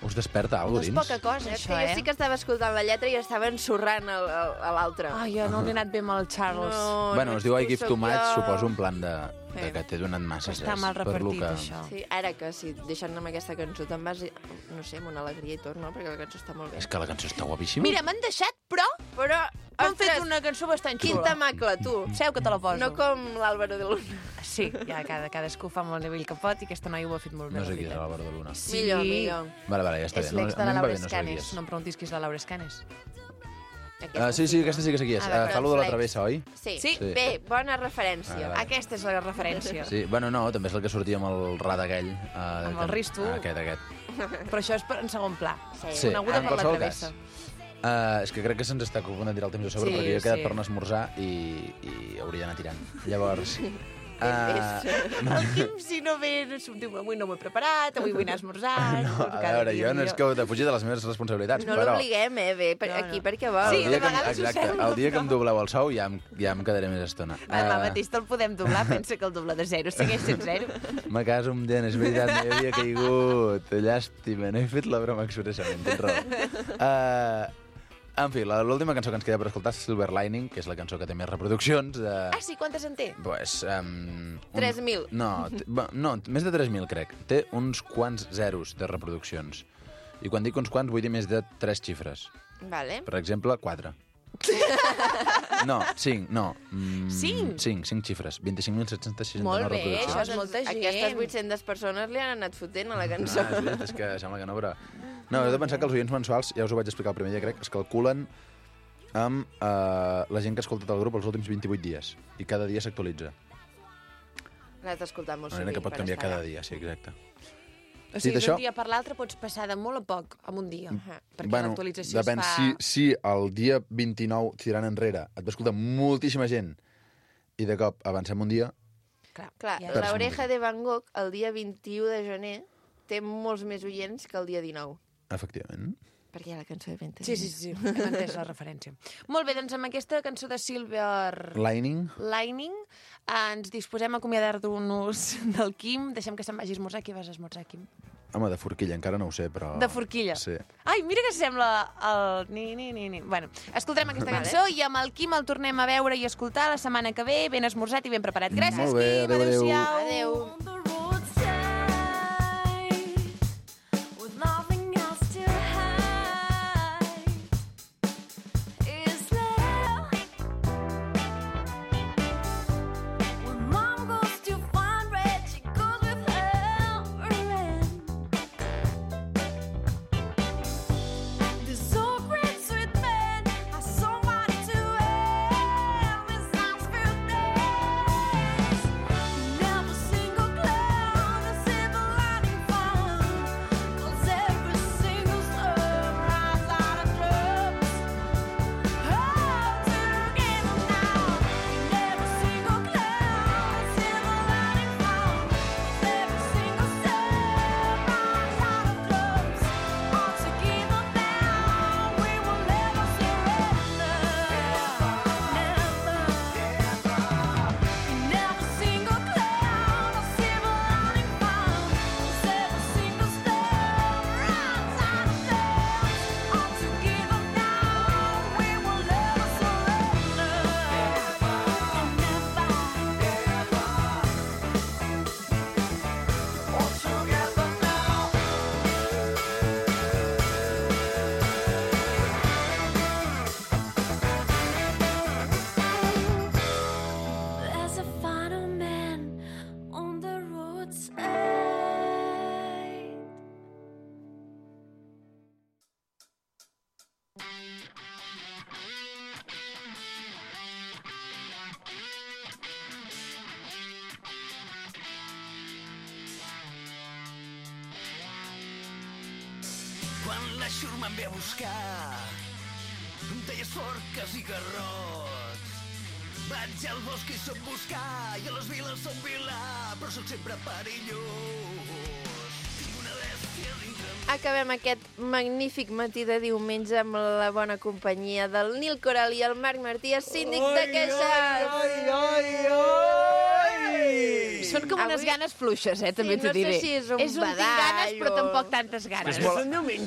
Us desperta alguna és cosa poca dins. cosa, És que això, jo eh? sí que estava escoltant la lletra i estava ensorrant el, el, a l'altre. Ai, jo no li he anat bé amb el Charles. Bueno, no es diu I ets tu, give sóc too much, jo. suposo, en plan de, de Sí. que t'he donat massa. Està saps? mal Per lo repartit, que... això. Sí, ara que sí, deixant-me amb aquesta cançó te'n vas, no sé, amb una alegria i tot, no? Perquè la cançó està molt bé. És que la cançó està guapíssima. Mira, m'han deixat, però Però, m'han fet ostres, una cançó bastant quin xula. temacle, tu. Seu que te la poso. No com l'Àlvaro de Luna. Sí, ja cada, cadascú fa amb el nivell que pot i aquesta noia ho ha fet molt bé. No la sé qui és veritat. l'Àlvaro de Luna. Sí. Millor, millor. Vale, vale, ja està És bé. l'ex No, de a la mi em va Laura bé no saber qui Escanes. és. No em preguntis qui és la Laura Escanes. Aquesta Ah, sí, sí, aquesta sí que sé qui és. Ah, Uh, d'acord. fa lo de la Flex. travessa, oi? Sí. Sí. Sí. Bé, bona referència. Ah, vale. Aquesta és la referència. Sí, bueno, no, també és el que sortia amb el rat aquell. Uh, Amb el Risto. Aquest, aquest. Però això és per- en segon pla. Sí, Coneguda en per la qualsevol travessa. cas. Uh, és que crec que se'ns està ocupant de tirar el temps de sobre, Sí, perquè jo he quedat sí. per anar a esmorzar i, i hauria d'anar tirant. Llavors... Uh, El Quim, si no ve, diu, avui no m'ho he preparat, avui vull anar a esmorzar... no, a veure, jo no és que de fugir de les meves responsabilitats, No però... l'obliguem, eh, ve per No, no. aquí perquè vol. Sí, el de dia que, em- vegades ho exacte, sembla, el dia que em però- dobleu el sou ja em, ja em quedaré més estona. Demà Eh, mateix te'l podem doblar, pensa que el doble de zero segueix sent zero. Me caso amb dent, és veritat, no hi havia caigut. Llàstima, no he fet la broma expressament, tens raó. Uh, en fi, la- l'última cançó que ens queda per escoltar és Silver Lining, que és la cançó que té més reproduccions. De... Ah, sí? Quantes en té? Pues, um, tres mil. No, t- va, no, més de tres mil, crec. Té uns quants zeros de reproduccions. I quan dic uns quants, vull dir més de tres xifres. Vale. Per exemple, quatre. No, cinc, no. Mm, Cinc? Cinc, cinc xifres. vint-i-cinc mil set-cents seixanta-nou Molt bé, reproduccions. això és molta gent. Aquestes vuit-centes persones li han anat fotent a la cançó. Ah, és veritat, és que sembla que no, però... No, heu de pensar que els oients mensuals, ja us ho vaig explicar el primer dia, crec, es calculen amb eh, la gent que ha escoltat el grup els últims vint-i-vuit dies. I cada dia s'actualitza. L'has d'escoltar molt Una manera sovint que pot per canviar estar cada allà. dia, sí, exacte. O sigui, Dit d'un això- dia per l'altre pots passar de molt a poc en un dia. Perquè bueno, l'actualització depèn, es fa... si, si el dia vint-i-nou tirant enrere et va escoltar moltíssima gent i de cop avancem un dia, Clar, Clar, ja. Per l'Oreja de Van Gogh el dia vint-i-u de gener té molts més oients que el dia dinou. efectivament. Perquè hi ha la cançó de Vente. Sí, sí, sí, hem entès la referència. Molt bé, doncs amb aquesta cançó de Silver Lining. Lining eh, ens disposem a acomiadar-nos del Quim. Deixem que se'n vagi a esmorzar. Qui vas a esmorzar, Quim? Home, de forquilla, encara no ho sé, però... De forquilla? Sí. Ai, mira que sembla el... Ni, ni, ni, ni. Bueno, escoltarem aquesta Vale. cançó i amb el Quim el tornem a veure i escoltar la setmana que ve, ben esmorzat i ben preparat. Gràcies, Molt bé, Quim. adéu, adéu. Adéu-siau. Adéu. On the roadside, with nothing else to hide, is there? When mom goes to find red, she goes with her friend. This so great sweet man has somebody to help his arms feel days. Never single cloud, a silver lining found. 'Cause every single storm rises out of clubs. All together now. Never single cloud, a silver lining found. Every single storm rises out of clubs. All together now, we will never surrender. Never. Never single cloud, a silver lining found. Every single storm rises out of clubs. All together now, we will never surrender. There's a final man on the roadside. Quan la xurma em ve a buscar, em talles forques i garrots. Vaig al bosc i soc buscar, i a les viles som vilà, però sóc sempre perillós. Tinc una bèstia dintre em. Acabem aquest magnífic matí de diumenge amb la bona companyia del Nil Coral i el Marc Martí, el síndic de queixes. Són com unes Avui- ganes fluixes, eh, també Sí, t'ho no sé diré. si és un és un tinc ganes, badall però o- tampoc tantes ganes. És molt...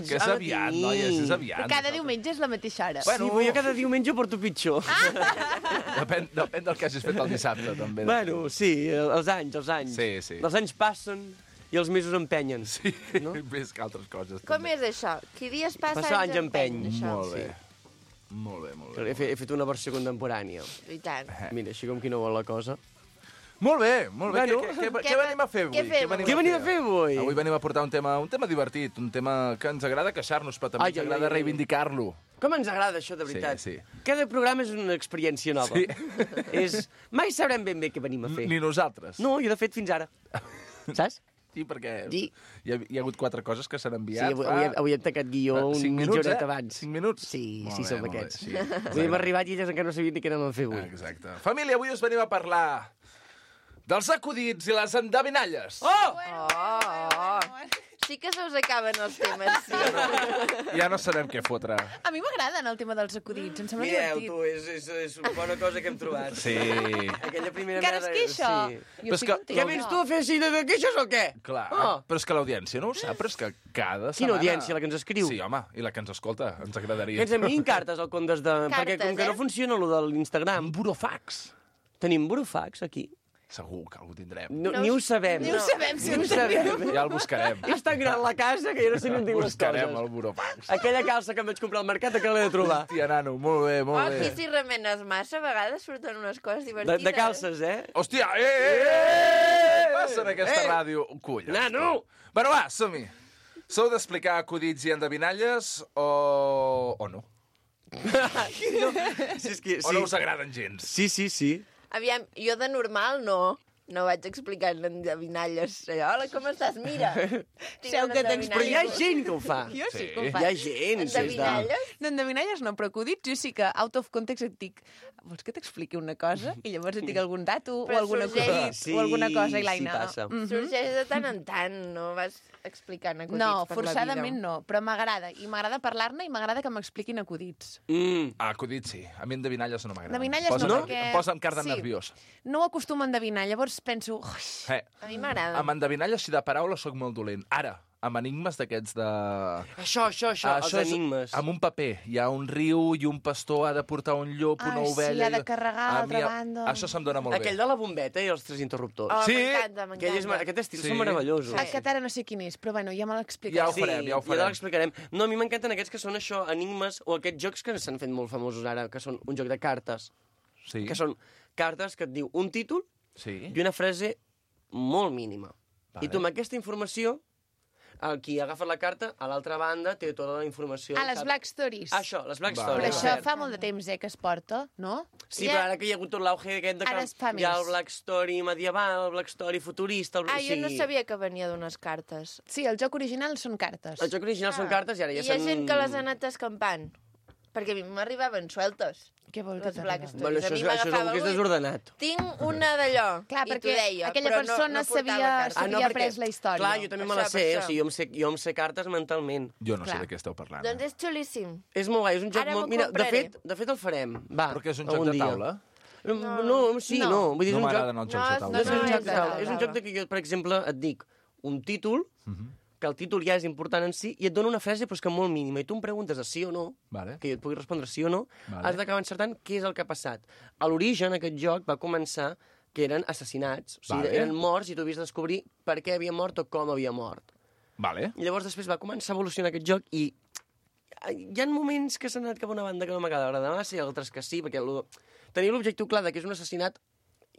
Que és aviat, noies, és aviat. Cada diumenge és la mateixa hora. Bueno, Sí, però jo cada diumenge ho porto pitjor. Depèn, depèn del que hagis fet el dissabte, també. Bueno, sí, els anys, els anys. Sí, sí. Els anys passen i els mesos empenyen. Sí, No? més que altres coses. Com també. és això? Qui dies passa, Passa anys empeny. això. Molt bé. Molt bé, molt bé. He fet, he fet una versió contemporània. I tant. Mira, així com qui no vol la cosa. Molt bé, molt bé. Bueno. Què, què, què, Què què venim a fer avui? què fem Què venim a fer avui? Avui venim a portar un tema, un tema divertit, un tema que ens agrada queixar-nos, però també Ai, ens ai, agrada ai, ai. reivindicar-lo. Com ens agrada això, de veritat. Sí, Cada programa és una experiència nova. Sí. És... Mai sabrem ben bé què venim a fer. Ni nosaltres. No, jo de fet fins ara. Saps? I perquè Di. hi ha, hi ha hagut quatre coses que s'han Sí, enviat. avui, avui, avui hem tacat guió fa un cinc mitja minuts, horeta eh? abans. Cinc minuts? Sí, Molt sí, bé, som molt bé, aquests. sí. Avui hem arribat i elles encara no sabien ni què anem a fer avui. Exacte. Família, avui us venim a parlar dels acudits i les endevinalles. Oh! Oh! Sí que se us acaben els temes, sí. Ja no sabem què fotre. A mi m'agraden el tema dels acudits, em sembla Mireu, divertit. tu, és, és, és una bona cosa que hem trobat. Sí. Aquella primera Encara es merda- queixa? Sí. Jo Però és estic que- contenta. Què vens tu a fer així de queixes o què? Clar, Oh. però és que l'audiència no ho sap, però és que cada Quina setmana... audiència, la que ens escriu? Sí, home, i la que ens escolta, ens agradaria. Que ens enviïn cartes al comptes de... Perquè com que eh? no funciona lo de l'Instagram... Un burofax. Tenim burofax aquí. Segur que algú tindrem. No, ni ho sabem. Ni ho sabem, si Ni ho ho sabem. Ja el buscarem. És tan gran la casa que jo no sé ni on tinc les Buscarem coses. el burofax. Aquella calça que em vaig comprar al mercat, que l'he de trobar. Hòstia, nano, molt bé, molt Oh, bé. aquí si remenes massa, a vegades surten unes coses De, divertides. de calces, eh? Hòstia, eh, eh, eh! Què passa en aquesta Eh! ràdio? Collons. Nano! Bueno, va, som-hi. Sou d'explicar acudits i endevinalles o... o no? No, si és que, O no us agraden gens? Sí, sí, sí. Aviam, jo de normal no. No vaig explicant endevinalles. Hola, com estàs? Mira. tinc Seu una que tens- Però hi ha endevinalla. gent que ho fa. Jo sí, Sí. que ho Hi faig. ha gent. sí, és de- Endevinalles? D'endevinalles no, però acudits jo sí que, out of context, et dic, vols que t'expliqui una cosa? I llavors et dic algun dato o Però alguna, sorgeix- cosa, o alguna cosa, i l'Aina... Sí, passa. Mhm. Sorgeix de tant en tant, no vas explicant acudits No, per forçadament la vida. no, però m'agrada. I m'agrada parlar-ne i m'agrada que m'expliquin acudits. Mm. Ah, acudits sí. A mi endevinalles no m'agraden. Endevinalles Posa, no, perquè- Em posa amb carda sí. nerviós. No ho acostumo a endevinar, llavors penso... Ui, Eh, A mi m'agrada. amb endevinalles i de paraules sóc molt dolent. Ara, amb enigmes d'aquests de... Això, això, això, els és enigmes. amb un paper. Hi ha un riu i un pastor ha de portar un llop, una Ai, sí, ovella... ha de i- carregar a A mi, l'altra banda. Això se'm dona molt Aquell bé. de la bombeta i els tres interruptors. Oh, Sí. m'encanta, Aquell, és, m'encanta. aquest estil Sí. són meravellosos. sí. Aquest ara no sé quin és, però bueno, ja me l'explicaré. Ja ho Sí, farem, ja ho ja farem. l'explicarem. No, a mi m'encanten aquests que són això, enigmes, o aquests jocs que s'han fet molt famosos ara, que són un joc de cartes, Sí. que són cartes que et diu un títol Sí. i una frase molt mínima. Vale. I tu amb aquesta informació, el qui agafa la carta, a l'altra banda té tota la informació. Ah, les sap- Black Stories. Això, les Black Vale. Però Stories. això cert. fa molt de temps, eh, que es porta, no? Sí, Ja- però ara que hi ha hagut tot l'auge aquest de que Ara es fa hi ha el més. Black Story medieval, el Black Story futurista... El... Ah, jo sí. no sabia que venia d'unes cartes. Sí, el joc original són cartes. El joc original són cartes i ara ja I hi ha s'han... gent que les ha anat escampant. Perquè a mi m'arribaven sueltes. Què vol que Les Black t'arriba? Stories. Bueno, A això, mi és, això és m'agafava algú que és algú i- desordenat. Tinc una d'allò. Clar, I t'ho perquè deia, aquella però persona no, no portava sabia- cartes. Ah, no, S'havia perquè... après la història. Clar, jo també me Per la això, sé, per o això. sigui, jo em sé, jo em sé cartes mentalment. Jo no Clar. sé de què esteu parlant. Doncs és xulíssim. És molt guai, és un joc Ara molt... m'ho Mira, de compraré. fet, de fet el farem. Va, Però que és un algun joc de dia. taula? No, no, sí, no. No. Vull dir, és No un joc... m'agraden els jocs de No, taula. No és no, un és joc de de taula. taula. És un joc de que jo, per exemple, et dic un títol, que el títol ja és important en si, i et dona una frase però és que molt mínima, i tu em preguntes de sí o no, Vale. que jo et pugui respondre sí o no, Vale. has d'acabar encertant què és el que ha passat. A l'origen, aquest joc va començar que eren assassinats, o sigui, Vale. eren morts i tu havies de descobrir per què havia mort o com havia mort. Vale. I llavors després va començar a evolucionar aquest joc i hi ha moments que s'han anat cap a una banda que no m'acaba d'agradar massa i altres que sí, perquè lo... tenir l'objectiu clar de que és un assassinat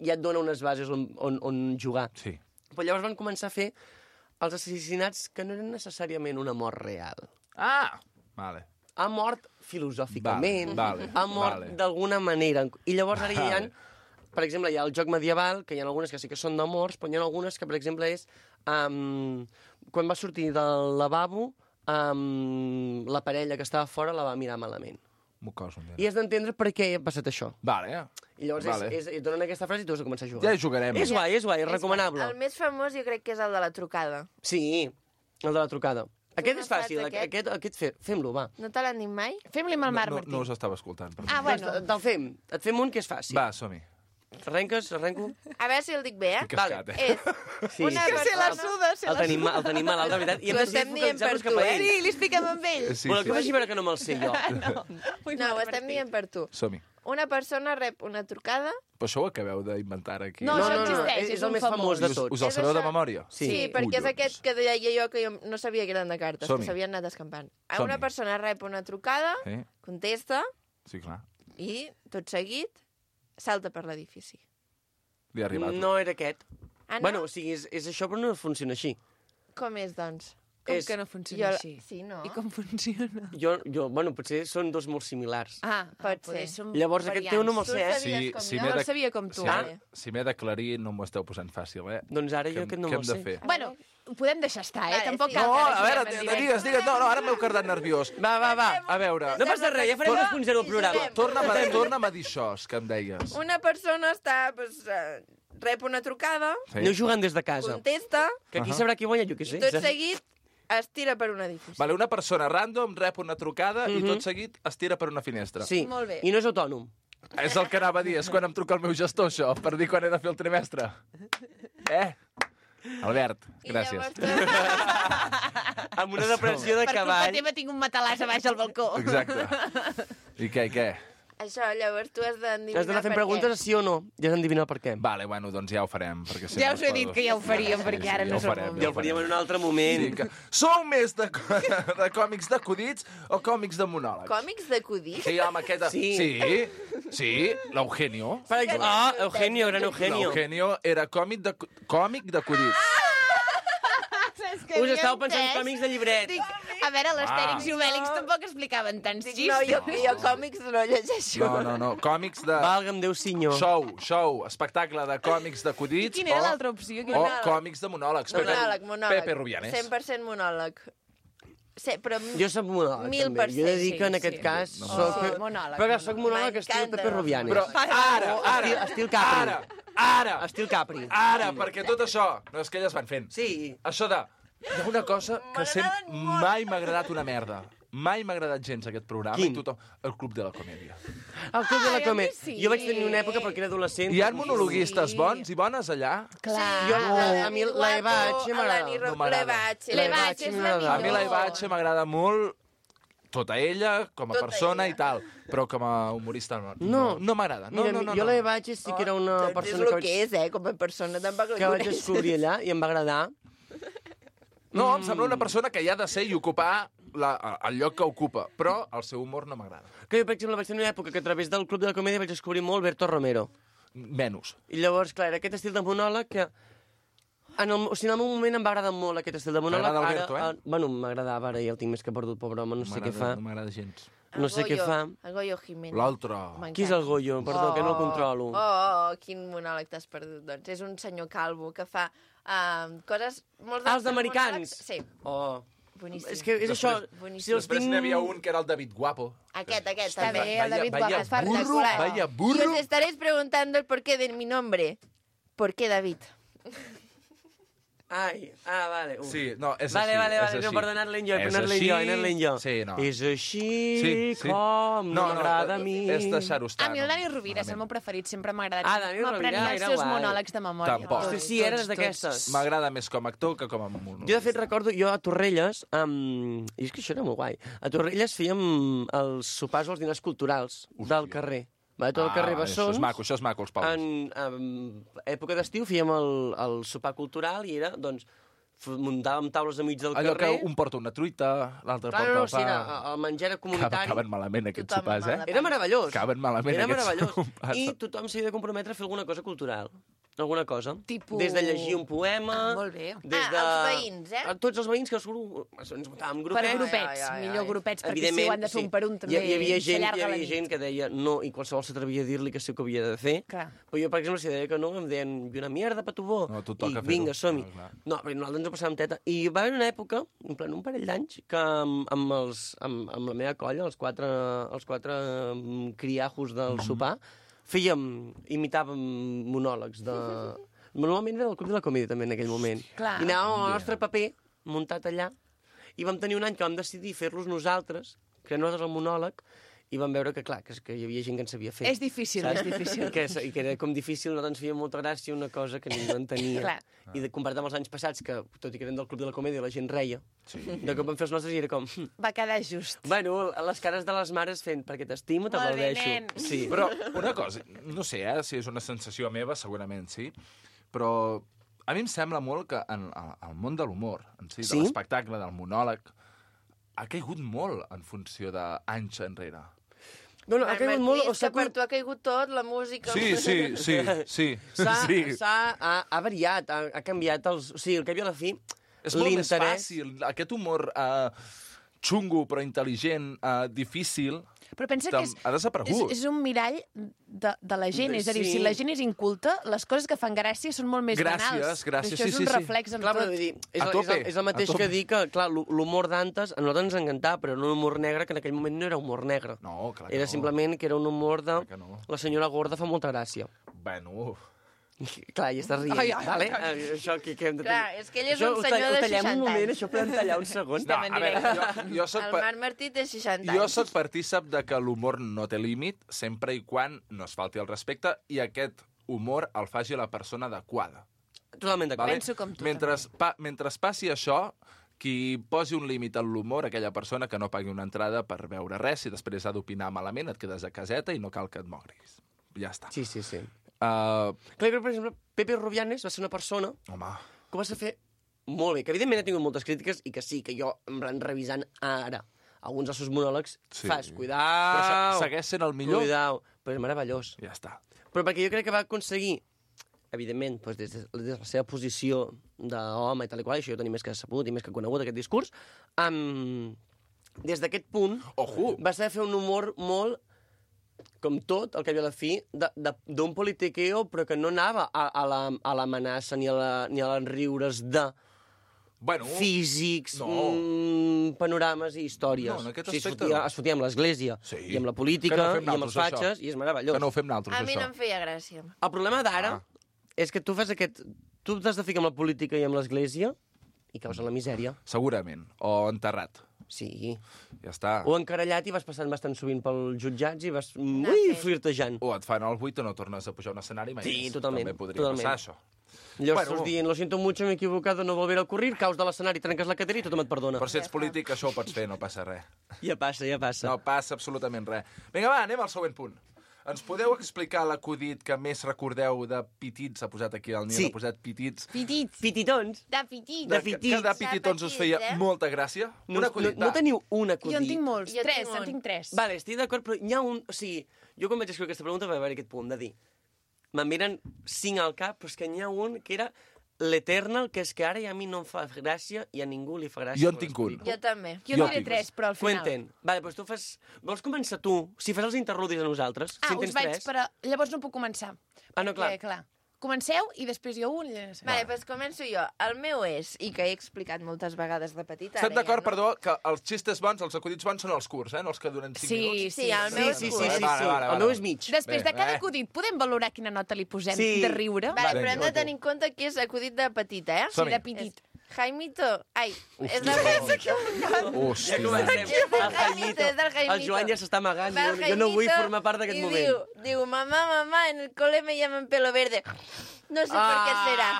ja et dona unes bases on, on, on jugar. Sí. Però llavors van començar a fer els assassinats que no eren necessàriament una mort real. Ah! Vale. Ha mort filosòficament, Vale, vale, ha mort vale. d'alguna manera. I llavors ara hi ha, Vale. per exemple, hi ha el joc medieval, que hi ha algunes que sí que són de morts, però hi ha algunes que, per exemple, és um, quan va sortir del lavabo, um, la parella que estava fora la va mirar malament. M'ho coso, I has d'entendre per què ha passat això. Vale. I llavors Vale. és, és, et donen aquesta frase i tu has de començar a jugar. Ja hi jugarem. És guai, és guai, és recomanable. El més famós jo crec que és el de la trucada. Sí, el de la trucada. Aquest no és fàcil, saps aquest, aquest? aquest, aquest fe, fem-lo, va. No te l'han dit mai? Fem-li amb el No, Marc no, Martí. no us estava escoltant. Perdó. Ah, bueno. Doncs te'l fem. Et fem un que és fàcil. Va, som-hi. Arrenques, arrenco? A veure si el dic bé, eh? Que escat, eh? És Sí. una Que se la persona... suda, se El la tenim, suda. ma- el tenim malalt, de veritat. I hem Ho decidit estem dient per focalitzar-nos tu, cap a eh? ell. Sí, li expliquem amb ell. Sí, Voleu que sí. faci veure que no me'l sé jo? No. Ui, No, ho Marc estem Martí. dient per tu. Som-hi. Una persona rep una trucada... Però això ho acabeu d'inventar aquí. No, No, això no, no, existeix, és, és és el un més famós de Us, tots. us el És sabeu de això. memòria? Sí, sí perquè és Collons. aquest que deia jo que jo no sabia que eren de cartes, Som-hi. que s'havien anat escampant. Som-hi. Una persona rep una trucada, Eh? contesta Sí, clar. i, tot seguit, salta per l'edifici. Li ha arribat. No era aquest. Ah, no? Bueno, o sigui, és, és això, però no funciona així. Com és, doncs? Com és... que no funciona Jo- així? Sí, no? I com funciona? Jo, jo, bueno, potser són dos molt similars. Ah, Pot poder ser. som Llavors, aquest teu no me'l Tu sé, eh? sabies Sí, com sí, jo? m'he No de- el sabia com tu. Si Ah. m'he si m'he d'aclarir, no m'ho esteu posant fàcil, eh? Doncs ara jo Què- aquest no què me'l hem de sé. fer? Bueno, ho podem deixar estar, eh? Vale, Tampoc sí. cal No, que ara a veure, juguem en directe. digues, digues. No, no, ara m'heu quedat nerviós. Va, va, va. A veure, No passa res, ja farem dos punt zero al programa. torna'm a, torna'm a dir això que em deies. Una persona està, pues, eh, rep una trucada, Aneu jugant des de casa. contesta, Que aquí Ahà. sabrà qui guanya, jo què i sé. tot seguit es tira per un edifici. Vale, una persona random rep una trucada i tot seguit es tira per una finestra. Sí, Molt bé. i no és autònom. És el que anava a dir, és quan em truca el meu gestor, això, per dir quan he de fer el trimestre. Eh? Albert, I gràcies. llavors tu- Amb una depressió de Per culpa cavall. teva tinc un matalàs a baix al balcó. Exacte. I què, i què? Això, llavors tu has d'endevinar Has d'anar fent per preguntes què. a sí o no. Ja has d'endevinar per què. Vale, bueno, doncs ja ho farem. Perquè si Ja no us es he dit pot- que ja ho faríem, perquè ara no ja ho som farem, molt Ja ho faríem en un altre moment. Sí, que... Sou més de, de còmics d'acudits o còmics de monòlegs? Còmics d'acudits? Sí, home, aquesta... Sí. Sí, sí, l'Eugenio. Per exemple, ah, Eugenio, gran Eugenio. L'Eugenio era còmic de, còmic d'acudits. Us estàu pensant còmics de llibret. Dic, a veure, l'Astèrix Ah. i Obèlix tampoc explicaven tants Dic, xistos. no, jo, jo còmics no llegeixo. No, no, no, còmics de... Valga'm Déu senyor. Show, show, espectacle de còmics d'acudits. Quina era o- l'altra opció? O Quina- còmics de monòlegs. Pepe, Monòleg, monòleg. Pepe Rubianes. cent per cent monòleg. Sí, però... Jo soc monòleg, Mil també. per Jo he de dir cent, que en sí, aquest sí. cas No, soc... sí, monòleg, Però que soc monòleg estil M'encanta. Pepe Rubianes. Però ara, ara, Estil, estil Capri. ara, ara, Estil Capri. ara, perquè tot això, no és que elles van fent. Sí. Això de... Hi ha una cosa que sempre mai m'ha agradat una merda. Mai m'ha agradat gens aquest programa. Quin? I tothom... El Club de la Comèdia. El Club de la Ai, a mi Comèdia. sí. Jo vaig tenir una època perquè era adolescent. Hi ha que- monologuistes Sí. bons i bones allà? Clar. Jo, La a mi Dani la Eva Guapo, H m'agrada. l'Ani No m'agrada. Levache. Levache és la A mi la millor. Ivatge m'agrada molt tota ella, com a Tota persona ella. i tal, però com a humorista no, No. no m'agrada. No, Mira, no, no, jo no. la Eva H sí que era una Doncs és persona el que que vaig, és, eh? Com a persona tampoc la que vaig coneixo. descobrir allà i em va agradar. No, em sembla una persona que hi ha de ser i ocupar la, el lloc que ocupa, però el seu humor no m'agrada. Que jo, per exemple, vaig tenir una època que a través del Club de la Comèdia vaig descobrir molt Berto Romero. Menys. I llavors, clar, era aquest estil de monòleg que... En el, o sigui, en el meu moment em va agradar molt aquest estil de monòleg. T'agrada el Ara, Berto, eh? ara- Bueno, m'agradava, ara ja el tinc més que perdut, pobre home, no sé què fa. No m'agrada gens. No sé què Goyo, fa. El Goyo Jiménez. L'altre. M'encanta. Qui és el Goyo? Perdó, que no el controlo. Oh, oh, oh, quin monòleg t'has perdut, doncs. És un senyor calvo que fa uh, coses... Molts Ah, els dels americans? monòlegs- Sí, Oh. boníssim. És que és això... Boníssim. Si els Després tinc... n'hi havia un que era el David Guapo. Aquest, aquest, Està també. bé, el David vaya, Guapo, vaya burro, espectacular. vaya Y burro. os estaréis preguntando el porqué de mi nombre. ¿Por qué David? Ai, ah, vale. Uf. Sí, no, és Vale, així. vale, és vale, no, així. per anar-li jo, per És anar-li així. jo, anar-li jo. Sí, no. És així Sí, sí. com no m'agrada a mi. És deixar-ho estar. A mi el no? Dani Rovira és el meu preferit, sempre m'ha agradat. Ah, Dani Rovira M'aprenia era els seus guai. monòlegs de memòria. Tampoc. Hosti, sí, eres d'aquestes. M'agrada més com a actor que com a monòleg. Jo, de fet, recordo, jo a Torrelles, um, i és que això era molt guai, a Torrelles fèiem els sopars o els dinars culturals del carrer. Va, tot el carrer Ah, Bessons. Això és maco, això és maco, els pobles. En, en època d'estiu fèiem el, el sopar cultural i era, doncs, f- muntàvem taules enmig del Allò carrer. que un porta una truita, l'altre Clar, porta no, no, el sí, pa... era el menjar era comunitari. Caben malament aquests Tothom sopars, amb eh? la- Era meravellós. Caben malament Era aquests meravellós. sopars. I tothom s'havia de comprometre a fer alguna cosa cultural. Alguna cosa. Tipus- Des de llegir un poema... Ah, molt bé. Des Ah, de... els veïns, eh? A tots els veïns que surt, ens muntàvem Per grupets. grupets, Ai, ai, ai, millor ai. grupets, perquè si ho han de fer un per un també hi, hi havia gent, hi s'allarga la havia nit. gent que deia no i qualsevol s'atrevia a dir-li que sí que ho havia de fer. Clar. Però jo, per exemple, si deia que no, em deien, i una mierda, patubó. No, tu I toca fer-ho. vinga, som-hi. Ah, clar. No, però nosaltres ens ho passàvem teta. I va haver una època, en plan un parell d'anys, que amb, amb, els, amb, amb la meva colla, els quatre, els quatre mm, criajos del Mhm. sopar, fèiem, imitàvem monòlegs de... Normalment era del Club de la Comèdia, també, en aquell moment. Clar. I anàvem amb el nostre paper muntat allà, i vam tenir un any que vam decidir fer-los nosaltres, crear nosaltres el monòleg, i vam veure que, clar, que, que hi havia gent que en sabia fer. És difícil, és difícil. I que, I que era com difícil, no ens feia molta gràcia una cosa que ningú entenia. Clar. I de, comparat amb els anys passats, que tot i que eren del Club de la Comèdia, la gent reia, sí. De cop vam fer els nostres i era com... "Hm, Va quedar just. bueno, les cares de les mares fent perquè t'estimo, Molt bé, t'aplaudeixo. nen. Sí. Però una cosa, no sé eh, si és una sensació meva, segurament sí, però a mi em sembla molt que en el món de l'humor, en si, Sí? de l'espectacle, del monòleg, ha caigut molt en funció d'anys enrere. No, no, ha caigut Martí, molt... O és que s'ha per tu ha caigut tot, la música... Sí, sí, sí, sí. S'ha sí. s'ha- ha, ha variat, ha, ha canviat els... O sigui, al cap i a la fi, És molt més l'interès... fàcil. Aquest humor uh, xungo, però intel·ligent, uh, difícil, Però pensa que és, ha desaparegut. és, és un mirall de, de la gent. És a dir, Sí. si la gent és inculta, les coses que fan gràcia són molt més Gràcies, banals. gràcies, Però això sí, és sí, un sí. reflex en Clar, però tot. vull dir, és, A el, és, tope, el, és el mateix a tope. que dir que, clar, l'humor d'antes a nosaltres ens encantava, però era un humor negre que en aquell moment no era humor negre. No, clar que Era no. simplement que era un humor de... Clar que no. La senyora gorda fa molta gràcia. Bueno, Clar, i estàs rient, Ai, ai, vale? ai, Eh, Això que, que hem de... Clar, és que ell és Això un ho senyor tall- de ho tallem un seixanta moment, anys. això podem tallar un segon. no, a veure, jo, jo soc... El pa- Marc Martí té seixanta Jo anys. sóc partícip de que l'humor no té límit, sempre i quan no es falti el respecte i aquest humor el faci la persona adequada. Totalment d'acord. Penso com tu, mentre, pa, mentre passi això, qui posi un límit en l'humor, aquella persona que no pagui una entrada per veure res, si després ha d'opinar malament, et quedes a caseta i no cal que et mogris. Ja està. Sí, sí, sí. Uh, Clar, jo crec, per exemple, Pepe Rubianes va ser una persona home, que ho va fer molt bé, que evidentment ha tingut moltes crítiques i que sí, que jo, en plan, revisant ara alguns dels seus monòlegs, Sí. fas, però cuidao, se- segueix sent el millor. cuidao, però és meravellós. Ja està. Però perquè jo crec que va aconseguir, evidentment, doncs des, de, des de la seva posició d'home i tal i qual, això jo tenia més que sabut i més que conegut, aquest discurs, um, des d'aquest punt Ojo! va saber fer un humor molt, com tot, el que havia a la fi, de- de- d'un politiqueo, però que no anava a, a la- a l'amenaça ni a la- ni a les riures de Bueno, físics, no. mm, panorames i històries. No, en aquest o sigui, es aspecte fotia, no. es fotia amb l'Església, Sí. i amb la Que política, no fem i amb els naltros, fatxes, això. i és meravellós. que no ho fem nosaltres, A mi això. no em feia gràcia. El problema d'ara Ah. és que tu fas aquest... Tu t'has de ficar amb la política i amb l'Església i causa la misèria. Segurament. O enterrat. Sí. Ja està. O encarallat i vas passant bastant sovint pels jutjats i vas Anar ui, fent. flirtejant. O et fan el buit o no tornes a pujar a un escenari mai Sí, més. totalment, També podria totalment. passar, això. Llavors Bueno. estàs dient, lo siento mucho, m'he equivocado, no volveré a ocurrir, caus de l'escenari, trenques la cadira i tothom et perdona. Però si ets polític, això ho pots fer, no passa res. Ja passa, ja passa. No passa absolutament res. Vinga, va, anem al següent punt. Ens podeu explicar l'acudit que més recordeu de Pitits? S'ha posat aquí el Nil, Sí. ha posat Pitits. Pitits. Pititons. De pitits. De Que, Pitits. que de Pititons us feia eh? molta gràcia. No, Un no, acudit, no va. teniu un acudit? Jo en tinc molts. Jo tres, tinc en un. tinc tres. Vale, estic d'acord, però hi ha un... O sigui, jo quan vaig escriure aquesta pregunta va haver aquest punt de dir me'n miren cinc al cap, però és que n'hi ha un que era l'Eternal, que és que ara ja a mi no em fa gràcia i a ningú li fa gràcia. Jo en quan tinc un. l'explico. Jo també. Jo Jo en diré tinc. tres, però al final... Cuenten. Vale, doncs tu fas... Vols començar tu? Si fas els interludis a nosaltres, Ah, si en us tens vaig, tres... però llavors no puc començar. Ah, no, clar. Perquè, clar. Comenceu i després jo un... i ja no sé. Vale, doncs començo jo. El meu és, i que he explicat moltes vegades de petita... Estem ara ja d'acord, no. perdó, que els xistes bons, els acudits bons són els curts, eh? No els que duren cinc Sí, minuts. Sí, el meu Sí, és sí, sí, curt. sí, Vale, sí. vale, El vale, meu vale. és mig. Després de Bé, cada eh? acudit, podem valorar quina nota li posem Sí. de riure? Vale, Vinga. però hem de tenir en compte que és acudit de petita, eh? Som-hi. de petit. Jaimito... Ai, és del Jaimito. Hòstia, Ja comencem. És del El Jaimito. és del Jaimito. El Joan ja s'està amagant. Va el Jo, jo no vull Jaimito formar part d'aquest i moment. Diu, diu, mamá, mamá, en el cole me llaman pelo verde. No sé per què serà.